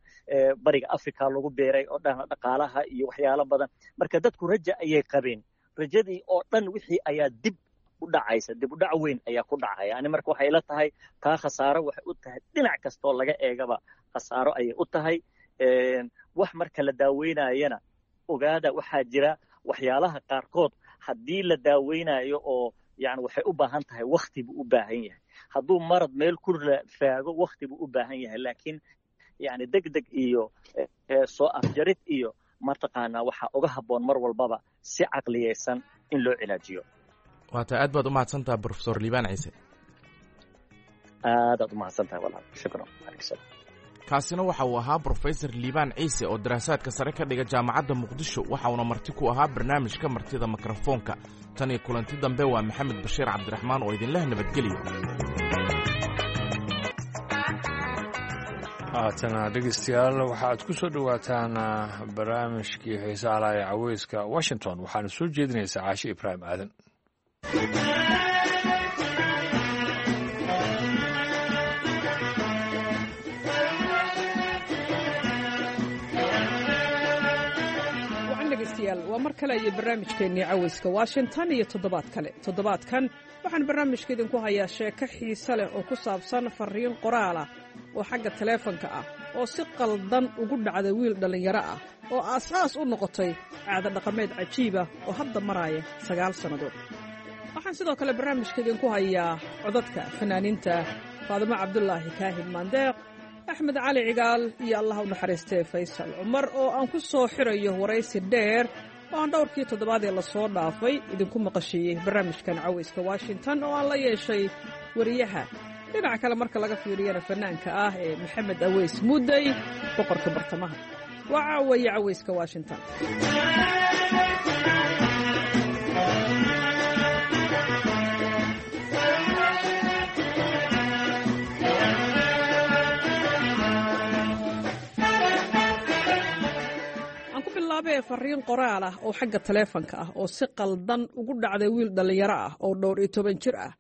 [SPEAKER 2] Bariga Africa lagu beeray oo dhan dhaqaalaha iyo waxyaalo badan. Marka dadku raja ayay qabeen, rajadii oo dhan wixii ayaa dib u dhacaysa, dib u dhac weyn ayaa ku dhacaya. Ani marka waxay ila tahay taa khasaaro waxay u tahay dhinac kastoo laga eegaba khasaaro ayay u tahay. Wax marka la daaweynayana ogaada waxaa jira waxyaalaha qaarkood haddii la daaweynayo oo yani waxay u baahan tahay wakti buu u baahan yahay. Hadduu marad meel ku faago wakti buu u baahan yahay, laakiin yani deg deg iyo soo afjarid iyo mataqaanaa waxaa uga habboon mar walbaba si caqliyeysan in loo cilaajiyo.
[SPEAKER 11] Waata aad baad u mahadsantaha Professor Liibaan Ciise.
[SPEAKER 2] Aadaad u mahadsantahay walaal, shukran.
[SPEAKER 11] Kaasina waxa uu ahaa Brofesor Liibaan Ciise oo daraasaadka sare ka dhiga jaamacadda Muqdisho, waxa uuna marti ku ahaa barnaamijka martida mikrofoonka. Tan iyo kulanti dambe waa Maxamed Bashiir Cabdiraxmaan oo idinleh nabadgeliyo.
[SPEAKER 1] Haatana dhegeystayaal, waxaad ku soo dhowaataan barnaamijkii xiisaha laha ee Caweyska Washington. Waxaana soo jeedinaysaa Caashi Ibraahim Aadan.
[SPEAKER 12] Wacan dhegeystayaal, waa mar kale iyo barnaamijkeennii Caweyska Washington iyo toddobaad kale. Toddobaadkan waxaan barnaamijka idinku hayaa sheeko xiise leh oo ku saabsan farriin qoraal ah oo xagga taleefanka ah oo si qaldan ugu dhacday wiil dhallinyaro ah oo aasaas u noqotay caado dhaqameed cajiib ah oo hadda maraaya sagaal sannadood. Waxaan sidoo kale barnaamijka idinku hayaa codadka fanaaniinta Faadimo Cabdulaahi Kaahin Maandeeq, Axmed Cali Cigaal iyo Allah u naxariistee Faysal Cumar, oo aan ku soo xirayo waraysi dheer oo aan dhowrkii toddobaadee lasoo dhaafay idinku maqashiiyey barnaamijkan Caweyska Washington oo aan la yeeshay wariyaha dhinaca kale marka laga fiiriyana fanaanka ah ee Maxamed Aweys Mudey, boqorka bartamaha. Waa caawaye Caweyska Washington. Aan ku bilaabee fariin qoraal ah oo xagga taleefanka ah oo si qaldan ugu dhacday wiil dhallinyaro ah oo dhowr iyo toban jir ah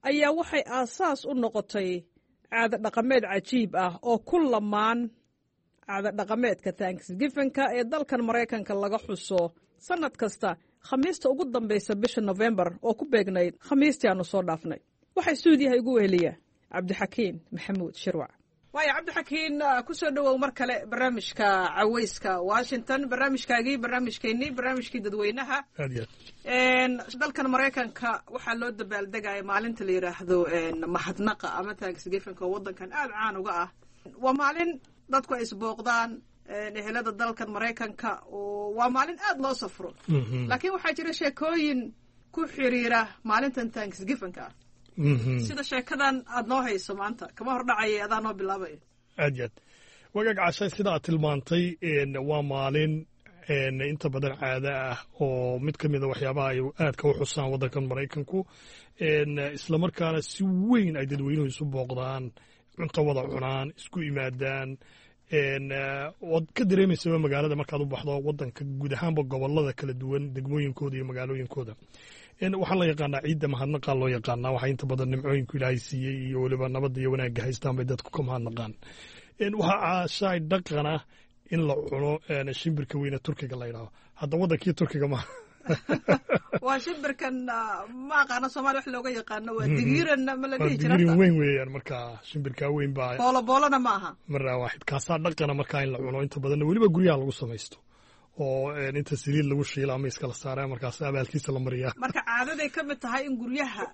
[SPEAKER 12] ayaa waxay aasaas u noqotay caado dhaqameed cajiib ah oo ku lamaan caado dhaqameedka Thanksgivinka ee dalkan Maraykanka laga xuso sannad kasta Khamiista ugu dambaysa bisha Nofembar, oo ku beegnayd Khamiistii aanu soo dhaafnay. Waxaa stuudiyaha igu weheliya Cabdixakiin Maxamuud Shirwac. Waaya Cabdixakiin, ku soo dhowow mar kale barnaamijka Caweyska Washington, barnaamijkaagii, barnaamijkeennii, barnaamijkii dadweynaha. Dalkan Maraykanka waxaa loo dabaaldegaya maalinta la yidhaahdo mahadnaqa ama Thanksgivinka oo waddankan aada caan uga ah. Waa maalin dadku ay isbooqdaan, ehelada dalkan Maraykanka, oo waa maalin aada loo safro. Laakiin waxaa jira sheekooyin ku xiriira maalintan Thanksgivinka ah, sida sheekadan aada noo hayso maanta. Kama hor dhacaya, adaa noo bilaabaya.
[SPEAKER 13] Aad iyo aad, wagaag Cashay, sida aad tilmaantay waa maalin inta badan caado ah oo mid ka mida waxyaabaha ay aadka u xusaan waddankan Maraykanku, islamarkaana si weyn ay dadweynuhu isu booqdaan, cunto wada cunaan, isku yimaadaan. Waad ka dareemaysaba magaalada markaad u baxdo waddanka guud ahaanba, gobolada kala duwan, degmooyinkooda iyo magaalooyinkooda. Waxaa la yaqaanaa ciidda mahadnaqaa loo yaqaanaa. Waxaa inta badan nimcooyinku Ilaahay siiyey iyo weliba nabadda iyo wanaagga haystaan bay dadku ka mahadnaqaan. Waxaa, Caashaay, dhaqan ah in la cuno shimbirka weyne turkiga la yidhahdo. Hadda waddankii Turkiga maaha.
[SPEAKER 12] Waa shimbirkan, ma aqaano Somalia wax looga yaqaano, waa digiiranna ma la dhihi jira?
[SPEAKER 13] Digiirin weyn weeyaan. Markaa shimbirkaa weyn baa
[SPEAKER 12] Boolo boolona ma aha.
[SPEAKER 13] Maraa waaxid kaasaa dhaqana markaa in la cuno, inta badanna weliba guryaha lagu samaysto oo inta saliid lagu shiila ama iskala saara, markaas abaalkiisa la mariyaa.
[SPEAKER 12] Marka caadaday ka mid tahay in guryaha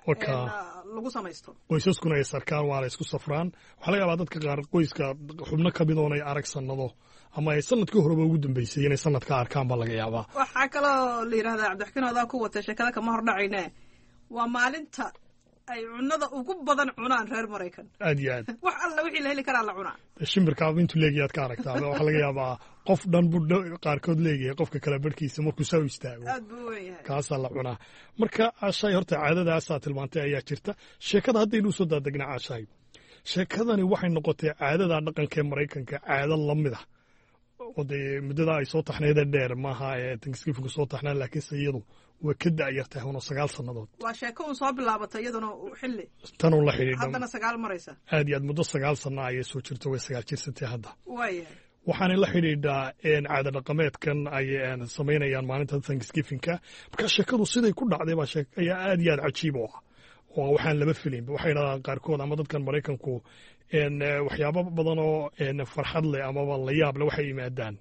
[SPEAKER 12] lagu samaysto.
[SPEAKER 13] Qoysaskuna ay sarkaan, waa la isku safraan. Waxaa laga yaabaa dadka qaar qoyska xubno ka mid oonay arag sanado ama ay sanadkii horeba ugu dambeysay inay sanadka arkaan baa laga yaabaa.
[SPEAKER 12] Waxaa kaloo la yidhahdaa, Cabdixakiin, odaa ku watay sheekada, kama hordhacayne, waa maalinta ay cunada ugu badan cunaan reer Maraykan.
[SPEAKER 13] Aad iyo aad.
[SPEAKER 12] Wax alla wixii la heli karaa la cunaa.
[SPEAKER 13] Shimbirkaaba intuu leegayaad ka aragtaa. Waxaa laga yaabaa qof dhan buu qaarkood leegayahay, qofka kale barhkiisa markuu saa u istaago.
[SPEAKER 12] Aad buu weyn yahay.
[SPEAKER 13] Kaasaa la cunaa. Marka Caashaay, horta caadadaasaa tilmaantay ayaa jirta. Sheekada haddaynu usoo daadegnaa, Caashaay, sheekadani waxay noqotay caadada dhaqanka ee Maraykanka caado lamid ah oo dee muddadaa ay soo taxneedee dheer maaha ee Thanksgiving soo taxnaa, laakiinse iyadu way ka da'yartahay una sagaal sannadood.
[SPEAKER 12] Waa sheeko un soo bilaabatay iyaduna xilli
[SPEAKER 13] tanun la xidhiidha,
[SPEAKER 12] haddana sagaal maraysa.
[SPEAKER 13] Aad iyo aad, muddo sagaal sanno ayay soo jirto, way sagaal jirsantay hadda.
[SPEAKER 12] Waayahay.
[SPEAKER 13] Waxaanay la xidhiidhaa caado dhaqameedkan ay samaynayaan maalinta Thanksgivingka. Marka sheekadu siday ku dhacday baa ayaa aad iyo aad cajiib u ah oo waxaan lama filaynba. Waxay yidhahdaan qaarkood ama dadkan Maraykanku, waxyaabo badan oo farxad leh amaba la yaab leh waxay yimaadaan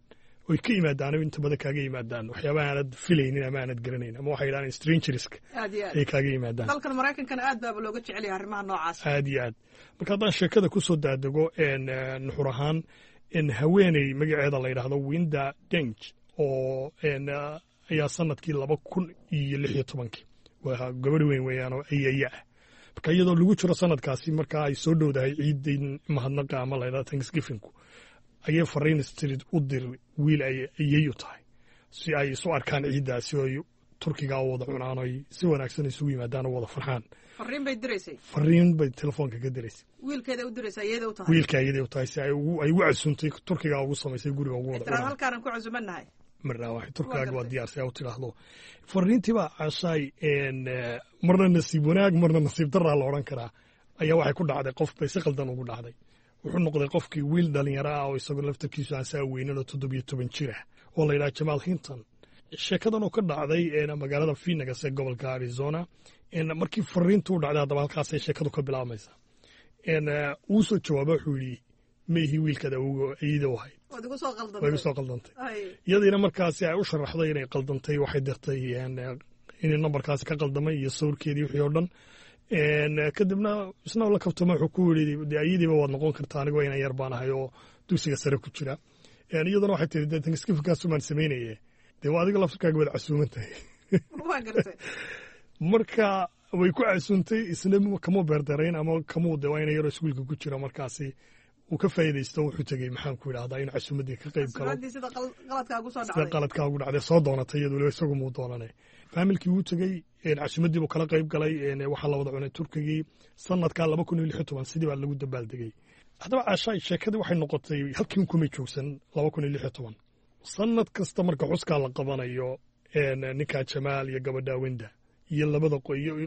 [SPEAKER 13] oy ka yimaadaan, inta badan kaaga yimaadaan waxyaabaha aanad filaynin ama aanad garanayn, ama waxay yidhahdaan strangerska
[SPEAKER 12] Aad iyo aad
[SPEAKER 13] ay kaaga yimaadaan.
[SPEAKER 12] Dalkan Maraykankana aad baaba looga jecel yahay arrimaha noocaas.
[SPEAKER 13] Aad iyo aad. Marka haddaan sheekada ku soo daadego nuxur ahaan, haweeney magaceeda la yidhaahdo Winda Deng oo ayaa sanadkii laba kun iyo lix iyo tobankii, waa gabadh weyn weeyaan oo ayaya ah, marka iyadoo lagu jiro sanadkaasi markaa ay soo dhowdahay ciiddii mahadnaqa ama la yidhahdo Thanksgivingku, ayay fariin street u dir wiil ay ayay u tahay si ay isu arkaan ciiddaasi oo ay turkiga u wada cunaan oo ay si wanaagsan isugu yimaadaan oo wada farxaan.
[SPEAKER 12] Fariin bay diraysay.
[SPEAKER 13] Fariin bay telefoonka ka diraysay.
[SPEAKER 12] Wiilkeeda u diraysay, iyada u tahay.
[SPEAKER 13] Wiilka iyada u tahay, si ay ugu ay ugu casuuntay turkiga ugu samaysay guriga ugu wada.
[SPEAKER 12] Tiraad halkaanan ku casuumanahay.
[SPEAKER 13] Marna waxay turkaaga waa diyaar si ay u tidhaahdo. Fariintii baa, Caashaay, marna nasiib wanaag, marna nasiib daraa la odhan karaa, ayaa waxay ku dhacday qof bay si qaldan ugu dhacday. Wuxuu noqday qofkii wiil dhalinyaro ah oo isagoo laftarkiisu aan saa weynan oo toddobiyo toban jir ah oo la yidhaha Jamaal Hinton. Sheekadan oo ka dhacday magaalada Phoenix ee gobolka Arizona. Markii fariintu u dhacday, haddaba halkaasay sheekadu ka bilaabmaysaa, wuu soo jawaaba, wuxuu yidhi, "Maihi wiilkaad iyada u ahayd, way igu soo qaldantay." Iyadiina markaasi ay u sharaxday inay qaldantay, waxay dirtay inay nambarkaasi ka qaldamay iyo sawirkeedii, wixii oo dhan. Kadibna isna la kabtama, wuxuu ku yidhi, "Dee ayadiiba waad noqon kartaa, anigoo inan yar baan ahay oo dugsiga sare ku jira." Iyaduna waxay tiri, "Dee Thanksgiving-kaasumaan samaynaye, dee waa adiga laftirkaaga waad casuuman tahay." Marka way ku casuuntay, isna kamuu beerdarayn ama kamuu de waa ina yaroo iskuulka ku jira, markaasi uu ka faa'iidaysto, wuxuu tegey, maxaan ku idhahdaa, inuu casuumaddii ka qayb galo.
[SPEAKER 12] Sida
[SPEAKER 13] qaladkaa ugu dhacday soo doonatay iyadu, weliba isagu muu doonanay. Faamilkii wuu tegey, casuumaddii buu kala qayb galay, waxaa la wada cunay turkigii. Sanadkaa laba kun iyo lix iyo toban sidii baa lagu dabaaldegay. Haddaba, Caashaay, sheekadii waxay noqotay halkiin kumay joogsan. Laba kun iyo lix iyo toban sanad kasta marka xuskaa la qabanayo, ninkaa Jamaal iyo gabadha Wenda iyo labada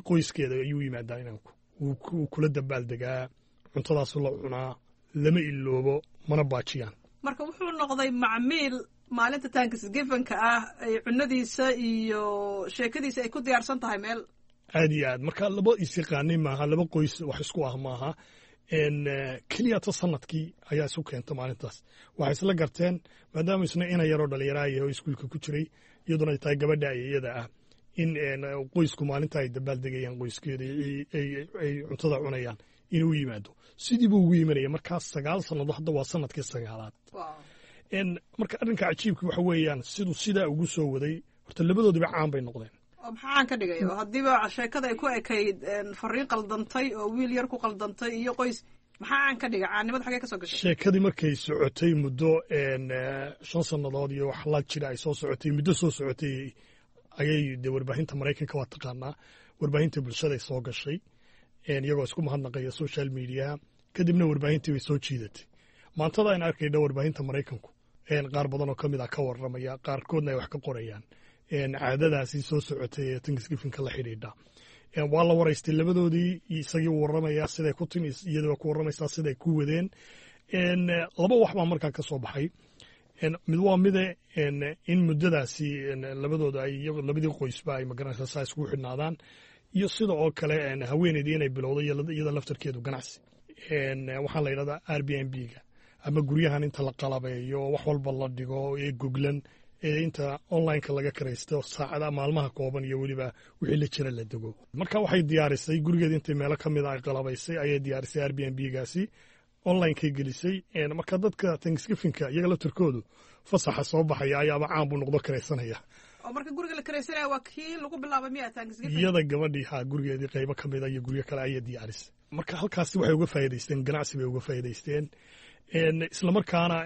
[SPEAKER 13] qoyskeeda ayuu yimaadaa inanku, wuu kula dabaaldegaa, cuntadaasu la cunaa, lama iloobo mana baajiyaan.
[SPEAKER 12] Marka wuxuu noqday macmiil maalinta Thanksgiving-ka ah ay cunadiisa iyo sheekadiisa ay ku diyaarsan tahay meel.
[SPEAKER 13] Aad iyo aad. Marka laba is yaqaanay maaha, laba qoys wax isku ah maaha, keliya ta sanadkii ayaa isu keenta maalintaas. Waxay isla garteen, maadaama isna ina yaroo dhallinyaraa yahay oo iskuulka ku jiray, iyaduna ay tahay gabadha iyada ah, in qoysku maalinta ay dabaaldegayaan, qoyskeeda ay cuntada cunayaan, inuu yimaado. Sidii buu ugu yimanaya markaas sagaal sannadood, hadda waa sanadkii sagaalaad. Marka arrinka cajiibka waxa weeyaan, siduu sidaa ugu soo waday, horta labadoodiba caan bay noqdeen.
[SPEAKER 12] Oo maxaa caan ka dhigay? Oo haddiiba sheekada ay ku ekayd fariin qaldantay oo wiil yar ku qaldantay iyo qoys, maxaa caan ka dhigay? Caannimada xagee ka soo gashay?
[SPEAKER 13] Sheekadii markay socotay muddo shan sannadood iyo wax la jira ay soo socotay, muddo soo socotay ayay dee warbaahinta Maraykanka waa taqaanaa, warbaahinta bulshaday soo gashay, iyagoo isku mahadnaqaya social mediaha. Kadibna warbaahintii bay soo jiidatay. Maantada aynu arkayna warbaahinta Maraykanku qaar badan oo ka mid ah ka warramaya, qaarkoodna ay wax ka qorayaan caadadaasi soo socotay ee Thanksgiving-ka la xidhiidha. Waa la waraystay labadoodii, isagii u warramaya siday ku timi, iyadoo ku warramaysaa siday ku wadeen. Laba wax baa markaa ka soo baxay. Mid waa mide, in muddadaasi labadooda ay labadii qoysba ay magaranaysaa saa iskugu xidhnaadaan, iyo sida oo kale haweeneydii inay bilowday iyada laftarkeedu ganacsi. Waxaa la yidhahdaa Airbnb-ga, ama guryahan inta la qalabeeyo, wax walba la dhigo ee goglan, ee inta online-ka laga karaysto saacada maalmaha kooban iyo weliba wixii la jira la dego. Marka waxay diyaarisay gurigeeda, intay meelo ka mid a ay qalabaysay ayay diyaarisay Airbnb-gaasi, online-kay gelisay. Marka dadka Thanksgiving-ka iyaga laftarkoodu fasaxa soo baxaya ayaaba caan buu noqdo, karaysanaya.
[SPEAKER 12] Oo marka guriga la karaysanaya waa kii lagu bilaabay miya Thanksgiving?
[SPEAKER 13] Iyada gabadhii ha, gurigeedii qaybo ka mid a iyo guryo kale ayay diyaarisay. Marka halkaasi waxay uga faa'iidaysteen, ganacsi bay uga faa'iidaysteen, islamarkaana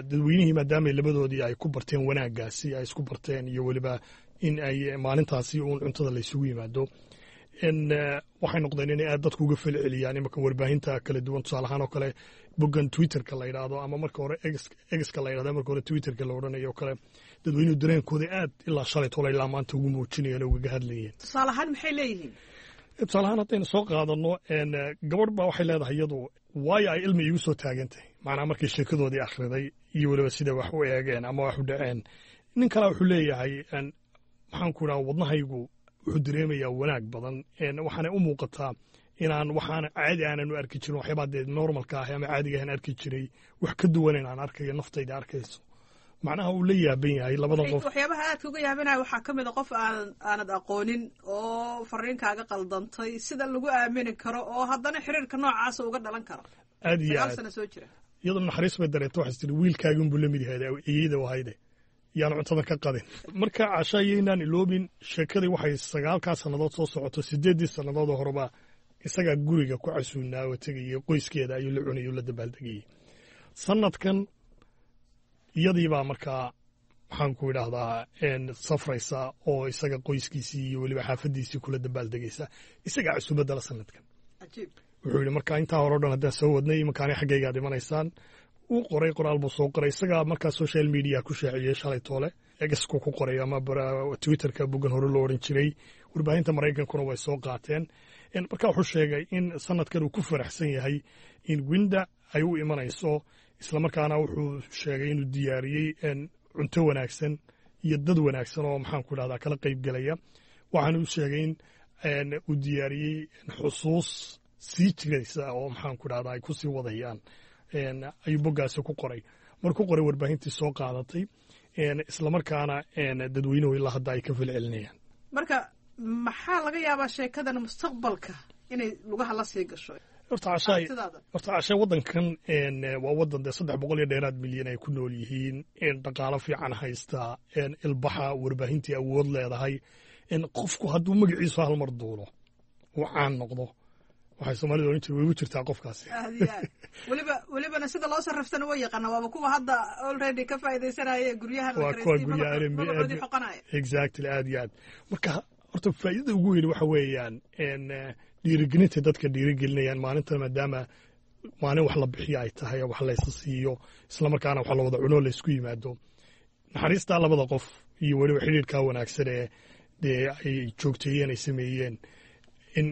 [SPEAKER 13] dadweynihii, maadaama labadoodii ay ku barteen wanaaggaasi ay isku barteen iyo weliba in ay maalintaasi uun cuntada la isugu yimaado, waxay noqdeen inay aad dadku uga falceliyaan. Imaka warbaahinta kala duwan, tusaale ahaan oo kale boggan Twitterka la yidhaahdo, ama marka hore X-ka la yidhahdo, marka hore Twitterka la odhanayo oo kale, dadweynuhu dareenkooda aad ilaa shalay tole ilaa maanta ugu muujinayeen oo ugaga hadlayeen.
[SPEAKER 12] Tusaale ahaan maxay leeyihiin?
[SPEAKER 13] Tusaale ahaan haddaynu soo qaadano, gabadh baa waxay leedahay iyadu, "Waayo ay ilmi iigu soo taagan tahay," macnaa markii sheekadoodii akhriday iyo weliba sida wax u eegeen ama wax u dhaceen. Nin kalea wuxuu leeyahay, maxaan ku idhaha, "Wadnahaygu wuxuu dareemayaa wanaag badan, waxaanay u muuqataa inaan waxaana caadi aanan u arki jirin, waxyaabaa dee normalka ah ama caadiga ahan arki jiray wax ka duwan inaan arkayo, naftayda arkayso." Macnaha uu la yaaban yahay labada qof.
[SPEAKER 12] Waxyaabaha aadka uga yaabinaya waxaa ka mid a qof aan aanad aqoonin oo fariinkaaga qaldantay, sida lagu aamini karo oo haddana xiriirka noocaasa uga dhalan karo.
[SPEAKER 13] Aad iyo
[SPEAKER 12] sagaal
[SPEAKER 13] aad.
[SPEAKER 12] Sano soo jira.
[SPEAKER 13] Iyadoo naxariis bay dareento, waxay tiri, "Wiilkaaginbuu la mid yahay, iyada wahayde yaan cuntada ka qadin." Marka, Casha, yaynaan iloobin sheekadii waxay sagaalkaa sannadood soo socoto. Sideeddii sannadood oo horeba isagaa guriga ku casuunaa oo tegayay, qoyskeeda ayuu la cunayay oo la dabaaldegayay. Sanadkan iyadiibaa markaa, maxaan Maxaan ku idhaahdaa, safraysa oo isaga qoyskiisii iyo weliba xaafadiisii kula dabaaldegaysa, isagaa cusubadda la sanadkan. Wuxuu yidhi marka intaa hore o dhan haddaan soo wadnay, imankaani xaggaygaad imanaysaan. Uu qoray, qoraal buu soo qoray, isagaa markaa social media ku shaaciyey shalay toole, X-ku ku qoray ama Twitterka boggan hore loo odhan jiray. Warbaahinta Maraykankuna way soo qaateen. Marka wuxuu sheegay in sanadkan uu ku faraxsan yahay in Winda ay u imanayso, islamarkaana wuxuu sheegay inuu diyaariyey cunto wanaagsan iyo dad wanaagsan oo, maxaan ku idhahdaa, kala qayb gelaya. Waxaana uu sheegay in uu diyaariyey xusuus sii jiraysa oo, maxaan ku idhahdaa, ay ku sii wadayaan, ayuu boggaasi ku qoray. Markuu qoray, warbaahintii soo qaadatay, islamarkaana dadweynuhu ilaa hadda ay ka falcelinayaan.
[SPEAKER 12] Marka maxaa laga yaabaa sheekadan mustaqbalka inay lugaha la sii gasho?
[SPEAKER 13] Horta Cashaay, horta Cashay, waddankan waa waddan dee saddex boqol iyo dheeraad milyan ay ku nool yihiin, dhaqaalo fiican haysta, ilbaxa, warbaahintii awood leedahay. Qofku hadduu magaciisu hal mar duulo uu caan noqdo, waxay Soomaalida ohan jira way ugu jirtaa qofkaasi.
[SPEAKER 12] Aad iyo aad. Weliba welibana sida loo sarriftana way yaqaana. Waaba kuwa hadda already ka faa'iidaysanaya guryahan.
[SPEAKER 13] Waa kuwa guryaha.
[SPEAKER 12] Magacoodii xoqanaya.
[SPEAKER 13] Exactly, aad iyo aad. Marka horta faa'iidada ugu weyn waxa weeyaan dhiirigelinta dadka dhiirigelinayaan maalintan, maadaama maalin wax la bixiyo ay tahay, wax laysa siiyo, islamarkaana wax la wada cuno, laysku yimaado, naxariistaa labada qof iyo weliba xidhiirkaa wanaagsan ee dee ay joogteeyeen, ay sameeyeen, in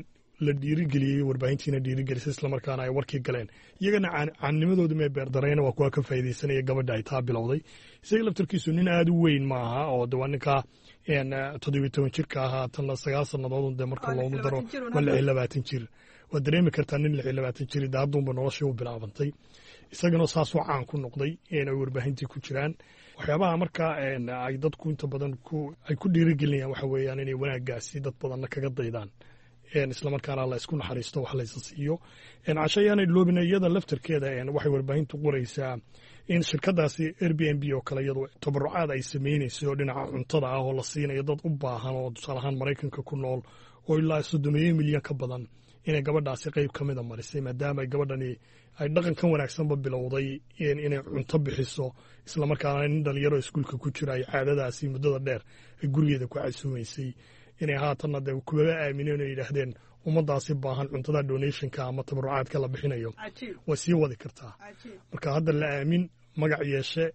[SPEAKER 13] la dhiirigeliyey, warbaahintiina dhiirigelisay, islamarkaana ay warkii galeen. Iyagana caannimadooda mee beerdarayna, waa kuwa ka faa'iidaysanaya gabadha ay taa bilowday. Isaga laftarkiisu nin aada u weyn maaha, oo de waa ninkaa toddobiyo toban jirka ahaa, tanna sagaal sannadood de marka loogu daro waa lix iyo labaatan jir. Waad dareemi kartaa nin lix iyo labaatan jir de hadduunba noloshii u bilaabantay, isagana saasuu caan ku noqday ay warbaahintii ku jiraan. Waxyaabaha marka ay dadku inta badan ay ku dhiirigelinayaan waxa weeyaan inay wanaaggaasi dad badanna kaga daydaan, islamarkaana la isku naxariisto, wax laysa siiyo. Casho, ayaanay loobina, iyada laftarkeeda waxay warbaahintu qoraysaa in shirkadaasi Airbnb oo kale iyadu tabarucaad ay samaynayso dhinaca cuntada ah oo la siinayo dad u baahan oo tusaale ahaan Maraykanka ku nool oo ilaa soddomeeyo milyan ka badan, inay gabadhaasi qayb ka mida marisay, maadaama ay gabadhani ay dhaqankan wanaagsanba bilowday inay cunto bixiso, islamarkaana nin dhalinyaro iskuulka ku jira ay caadadaasi muddada dheer ay gurigeeda ku casuumaysay, inay haatanna dee kubaba aamineen oo yidhaahdeen ummaddaasi baahan cuntada donationka ama tabarucaadka la bixinayo way sii wadi kartaa. Marka hadda la aamin magac yeeshe,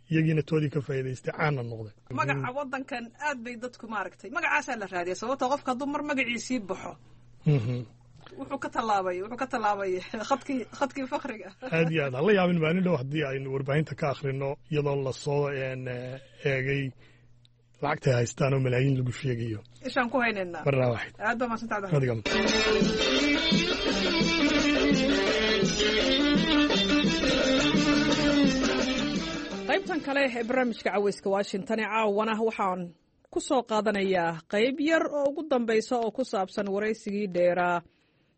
[SPEAKER 13] iyagiina toodii ka faa'iidaystay, caanna noqday.
[SPEAKER 12] Magaca waddankan aad bay dadku maaragtay magacaasaa la raadiya, sababta qofka hadduu mar magaciisii baxo wuxuu ka tallaabay wuxuu ka tallaabay khadkii khadkii fakriga.
[SPEAKER 13] Aad iyo aad. Hala yaabin maalin dhow haddii aynu warbaahinta ka akhrino iyadoo lasoo eegay lacagtay haystaan oo malaayiin lagu sheegayo.
[SPEAKER 12] Ishaan ku haynaynaa.
[SPEAKER 13] Marnaa waxid.
[SPEAKER 12] Aad baa mahadsantahay.
[SPEAKER 13] Adiga.
[SPEAKER 12] Qaybtan kale ee barnaamijka Caweyska Washington ee caawana waxaan ku soo qaadanayaa qayb yar oo ugu dambaysa oo ku saabsan waraysigii dheeraa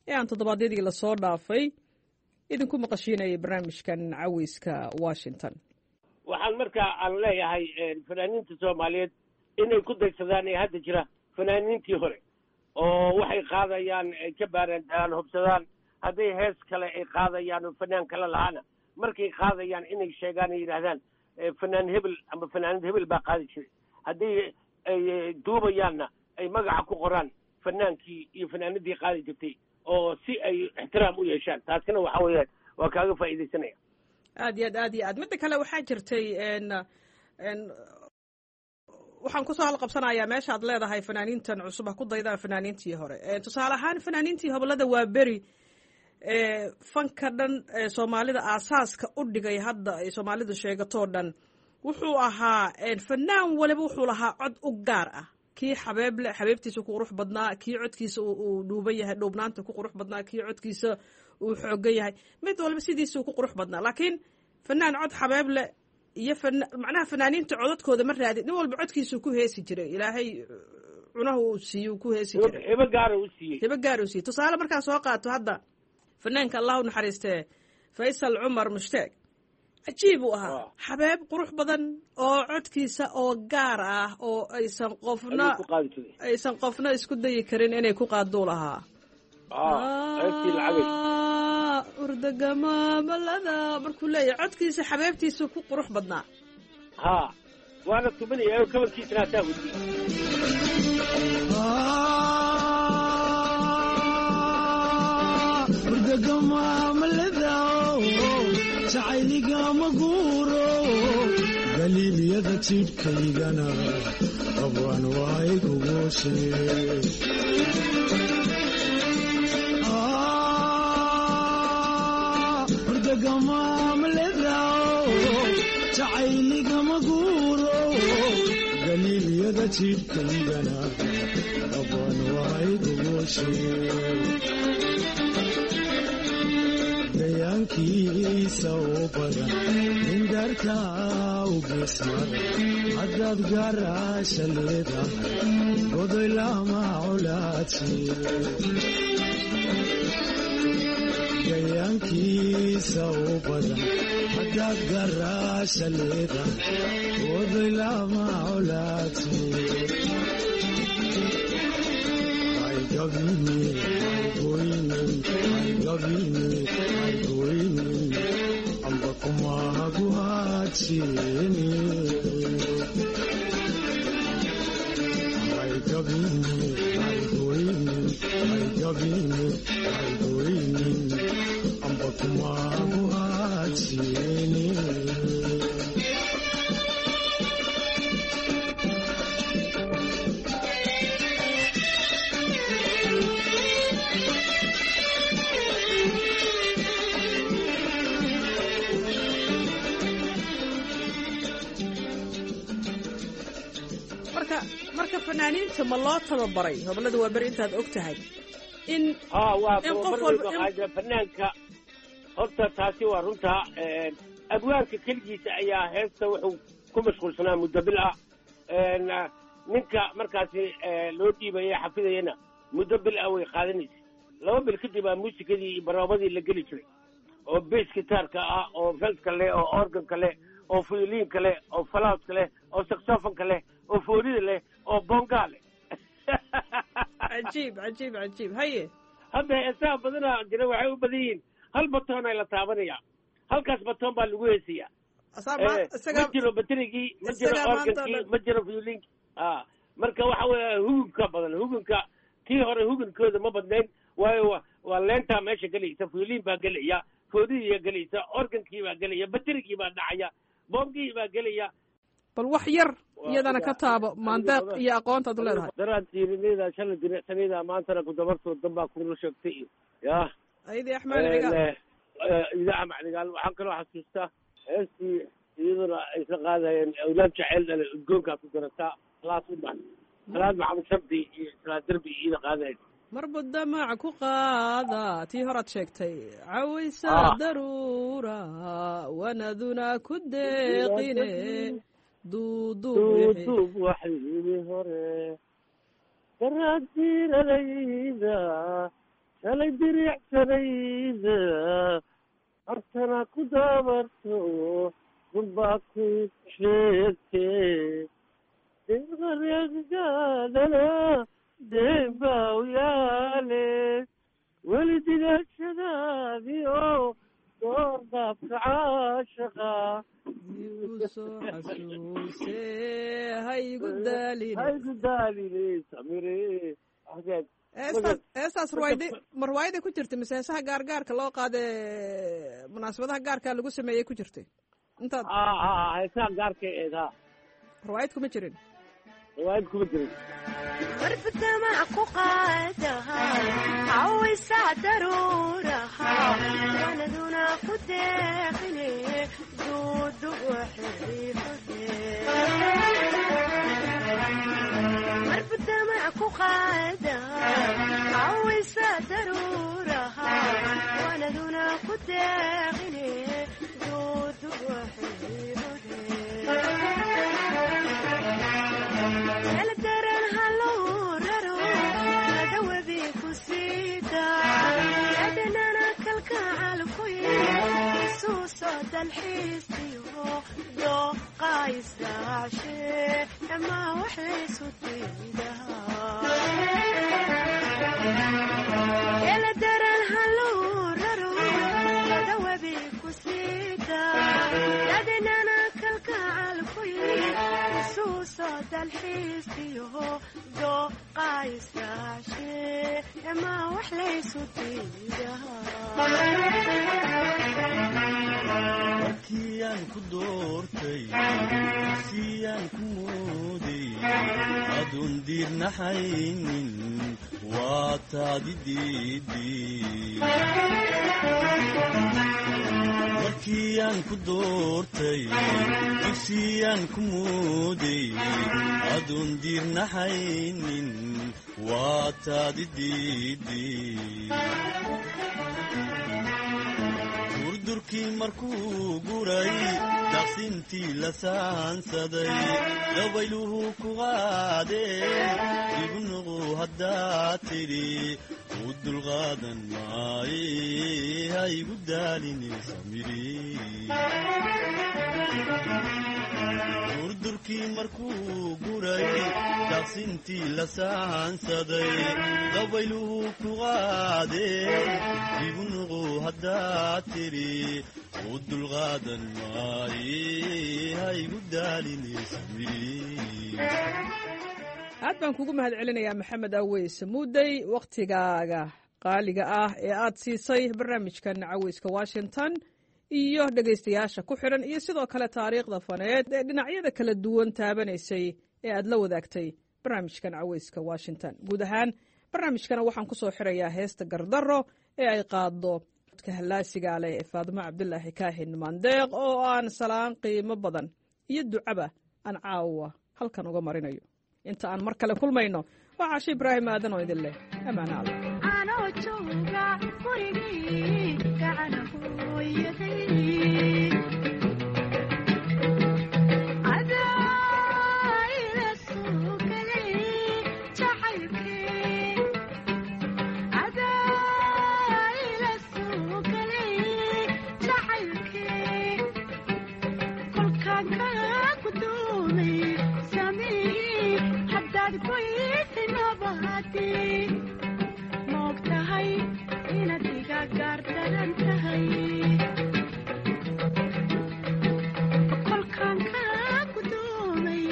[SPEAKER 12] ee aan toddobaadyadii lasoo dhaafay idinku maqashiinayay barnaamijkan Caweyska Washington.
[SPEAKER 14] Waxaan markaa aan leeyahay fanaaniinta Soomaaliyeed inay ku daysadaan ee hadda jira fanaaniintii hore, oo waxay qaadayaan ay ka baaraan, hubsadaan. Hadday hees kale ay qaadayaan oo fanaan kale lahaana, markay qaadayaan inay sheegaan, ay yidhaahdaan fanaan hebel ama fanaanad hebel baa qaadi jiray. Hadday ay duubayaanna ay magaca ku qoraan fanaankii iyo fanaanadii qaadi jirtay, oo si ay ixtiraam u yeeshaan. Taasina waxa weeyaan waa kaaga faa'iidaysanaya.
[SPEAKER 12] Aad iyo aad, aad iyo aad. Midda kale waxaa jirtay n n waxaan kusoo halqabsanayaa meeshaad leedahay fanaaniintan cusub ha ku daydaan fanaaniintii hore. Tusaale ahaan fanaaniintii hobolada waa beri fanka dhan ee Soomaalida aasaaska u dhigay, hadda ay Soomaalidu sheegatoo dhan, wuxuu ahaa fanaan waliba wuxuu lahaa cod u gaar ah. Kii xabeeble xabeebtiisa ku qurux badnaa, kii codkiisa uu dhuuban yahay dhuubnaanta ku qurux badnaa, kii codkiisa uu xoogan yahay, mid walba sidiisuu ku qurux badnaa. Laakiin fanaan cod xabeeble iyo macnaha fanaaniinta codadkooda ma raadin, nin walba codkiisuu ku heesi jiray. Ilaahay cunaha uu siiye ku heesi jiray.
[SPEAKER 14] Hibo gaara u siiyey.
[SPEAKER 12] Hibo gaar uu siiyey. Tusaale markaa soo qaato hadda fanaanka Allah u naxariistee Faysal Cumar Mushtaag, cajiib uu ahaa, xabeeb qurux badan oo codkiisa oo gaar ah oo aysan qofna aysan qofna isku dayi karin inay ku qaaduu lahaa. Urdagamamalada markuu leeyahay codkiisa xabeebtiisa ku qurux badnaa.
[SPEAKER 14] Ha. Waana tumanaya oo kabankiisana hataa weydiiyey.
[SPEAKER 15] Jacayligama guuro, galiiliyada jidhkaygana abwaan waay kugooshe. Jacayligama guuro, galiiliyada jidhkaygana abwaan waay kugooshe. Gayaankiisa oo badan indarka u geesmara, haddaad garaasha leedahay godoy lama colaadsi. Gayaankiisa oo badan haddaad garaasha leedahay godoy lama colaadsi. Amba kumahaguhaajini. Amba kumahaguhaajini.
[SPEAKER 12] Marka marka fanaaniinta ma loo tababaray hobolada waa beri intaad og tahay in
[SPEAKER 14] Ha, waa
[SPEAKER 12] in qof
[SPEAKER 14] tababar
[SPEAKER 12] walba
[SPEAKER 14] weyn baa qaada fanaanka horta. Taasi waa runta. Abwaanka keligiisa ayaa heesta wuxuu ku mashquulsanaa muddo bil ah. Ninka markaasi loo dhiibaya xafidayana muddo bil ah way qaadanaysa. Laba bil kadib baa muusikadii iyo baroobadii la geli jiray, oo bass gitaarka ah, oo feltka leh, oo organka leh, oo fioliinka leh, oo falaaska leh, oo saxofonka leh, oo foolida leh, oo bongaa leh.
[SPEAKER 12] Cajiib, cajiib, cajiib! Haye.
[SPEAKER 14] Hadda heesaha badanaa jira waxay u badan yihiin hal batoon ay la taabanaya, halkaas batoon baa lagu heesayaa.
[SPEAKER 12] Asaa ma-
[SPEAKER 14] Eh,
[SPEAKER 12] isagaa-
[SPEAKER 14] ma jiro baterigii, ma jiro
[SPEAKER 12] isagaa maanta
[SPEAKER 14] organkii,
[SPEAKER 12] oo dhan.
[SPEAKER 14] Ma jiro violinkii. A marka waxa weeye hugunka badan, hugunka tii hore hugunkooda ma badnayn, waayo wa- waa leentaa meesha gelaysa, violin baa gelaya, foodidiyaa gelaysa, organkii baa gelaya, baterigii baa dhacaya, boongihii baa gelaya.
[SPEAKER 12] Bal wax yar
[SPEAKER 14] Waa
[SPEAKER 12] iyadana ka
[SPEAKER 14] sida-
[SPEAKER 12] taabo maandeeq iyo aqoontaad u leedahay.
[SPEAKER 14] Daraad diirinayda shalay diricsanayda maantana ku dabartoo danbaa kula sheegtay iyo ya
[SPEAKER 12] Ayadii Axmed Cigaal.
[SPEAKER 14] Ida Axmed Cigaal. Waxaan kaloo xasuustaa heestii iyaduna ay isla qaadayeen awlaad jaceyl dhale, udgoonkaa ku garataa, salaad ubax, Salaad Maxamed Shardi iyo Salaad Derbi iyada qaadayeen.
[SPEAKER 12] Marbu damac ku qaada tii horaad sheegtay cawaysa
[SPEAKER 14] Ah.
[SPEAKER 12] daruura wanaduna ku deeqine duuduub wixii-
[SPEAKER 14] Duuduub waxyili hore, daraad diiranayda shalay diricsanayda hortana ku dabarto dunbaa ku sheegtee deeqareeggaadana deembaa u yaale weli digaashadaadiyo door daabka caashaqa
[SPEAKER 12] igu soo xasuusee ha igu daalin.
[SPEAKER 14] Ha igu daaline samire. Axmed.
[SPEAKER 12] Heestaas heestaas ruwaayada ma ruwaayada ku jirtay mise heesaha gaargaarka loo qaade munaasabadaha gaarka lagu sameeyey ku jirtay intaad?
[SPEAKER 14] Ha ha, heesaha gaarka eed ha.
[SPEAKER 12] Ruwaayad kuma jirin.
[SPEAKER 14] Riwaayad kuma jirin.
[SPEAKER 16] Warbadamac ku qaadaha cawaysa daruuraha wanaduna ku deeqine duudub warbadamac ku qaadaha cawaysa daruuraha wanaduna ku deeqine duudub daran halou raro ladawabi ku siida adnana kalkacal ku isuuso dalxiisiyo dooqaysraashe ama wax laysu diidaa daran halou raro ladawabi ku siida adnana kalkacal ku Dalxiiskiyo dooqaysraashe ema wax laysu
[SPEAKER 17] Markiyaan ku doortay, siyaan ku mooday, adoon diirnaxaynin, waa taadi diiday. Markiyaan ku doortay, dugsiyaan ku mooday, adoon diirnaxaynin, waa taadi diiday. Durdurkii markuu guray, daqsintii la saansaday, dabayluhu ku qaadeen, igu nuqu haddaad tidhi, u dulqaadan maaye, ha igu daaline samiri. Durdurkii markuu guray, daqsintii la saansaday, dabayluhu ku qaadeen, igu nuqu haddaad tidhi, u dulqaadan maaye, ha igu daaline samiri.
[SPEAKER 12] Aad baan kugu mahad celinayaa, Maxamed Aweys Muudey, wakhtigaaga qaaliga ah ee aad siisay barnaamijkan Caweyska Washington iyo dhegaystayaasha ku xidhan, iyo sidoo kale taariikhda faneed ee dhinacyada kala duwan taabanaysay ee aad la wadaagtay barnaamijkan Caweyska Washington. Guud ahaan barnaamijkana waxaan ku soo xirayaa heesta Gardarro ee ay qaaddo codka hallaasiga leh ee Faadimo Cabdulaahi Kaahin Maandeeq, oo aan salaan qiimo badan iyo ducaba aan caawa halkan uga marinayo. Inta aan mar kale kulmayno, waa Caashe Ibraahim Aadan oo idin leh ammaano alla.
[SPEAKER 16] Anoo jooga gurigii gacana hooyaday, adaa ila soo galay jacaylkii, adaa ila soo galay jacaylkii, kolkaan kaa gudoomay samihii, haddaad goysay nabadii, moog tahay inaad iga gaardaran tahay. Kolkaan kaa gudoomay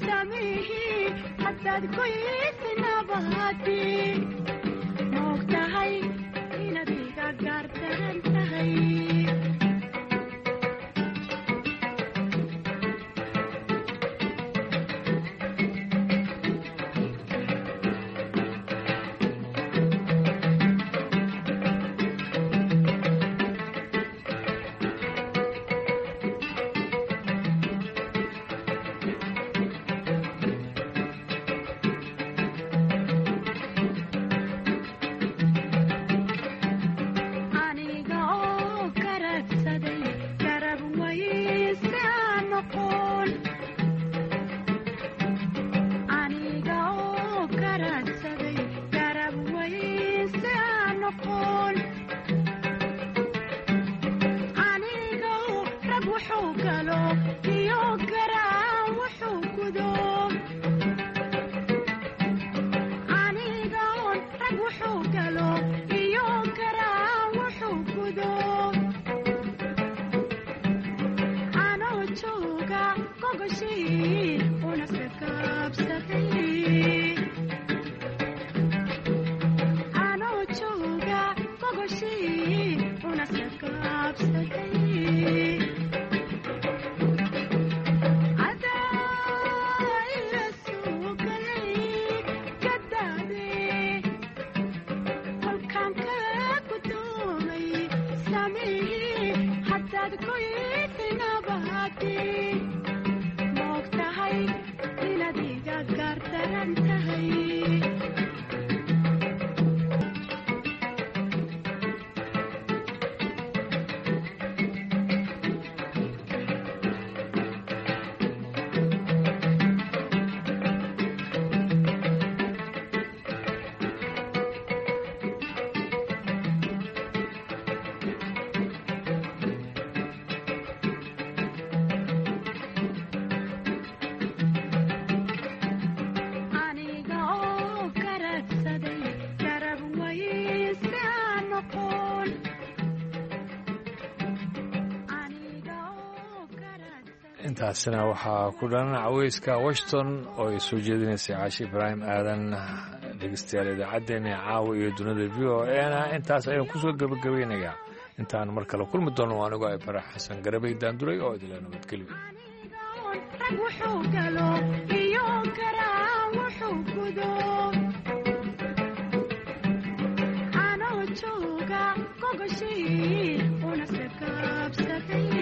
[SPEAKER 16] samihii, haddaad goysay nabadii, moog tahay inaad iga gaardaran tahay. Aniga oo garabsaday garab wayse aan noqon, aniga oo garabsaday garab wayse aan noqon, aniga oo rag wuxuu galo iyo garaan wuxuu gudo, aniga oon rag wuxuu galo iyo garaan wuxuu gudo, anoo jooga gogoshii una sakaabsaday, anoo jooga gogoshii una sakaabsaday, adaa ila soo galay gadaade, kolkaan kaa gudoomay samihii, haddaad goysay nabadii, moog tahay inaad iga gaardaran tahay.
[SPEAKER 1] Intaasina waxaa ku dhan caweyska Washington oo ay soo jeedinaysay Caashi Ibraahim Aadan. Dhegeystayaal, idaacaddeenna caawa iyo dunida V O A na intaas ayaan kusoo gebagabaynayaa. Intaan mar kale kulmi doono, anigoo ay Farax Xasan Garabay Daanduray oo idila nabadgelyo.
[SPEAKER 16] Rag wuxuu galo iyo karaa wuxuu gudo anoo jooga gogoshii una sakaabsaday.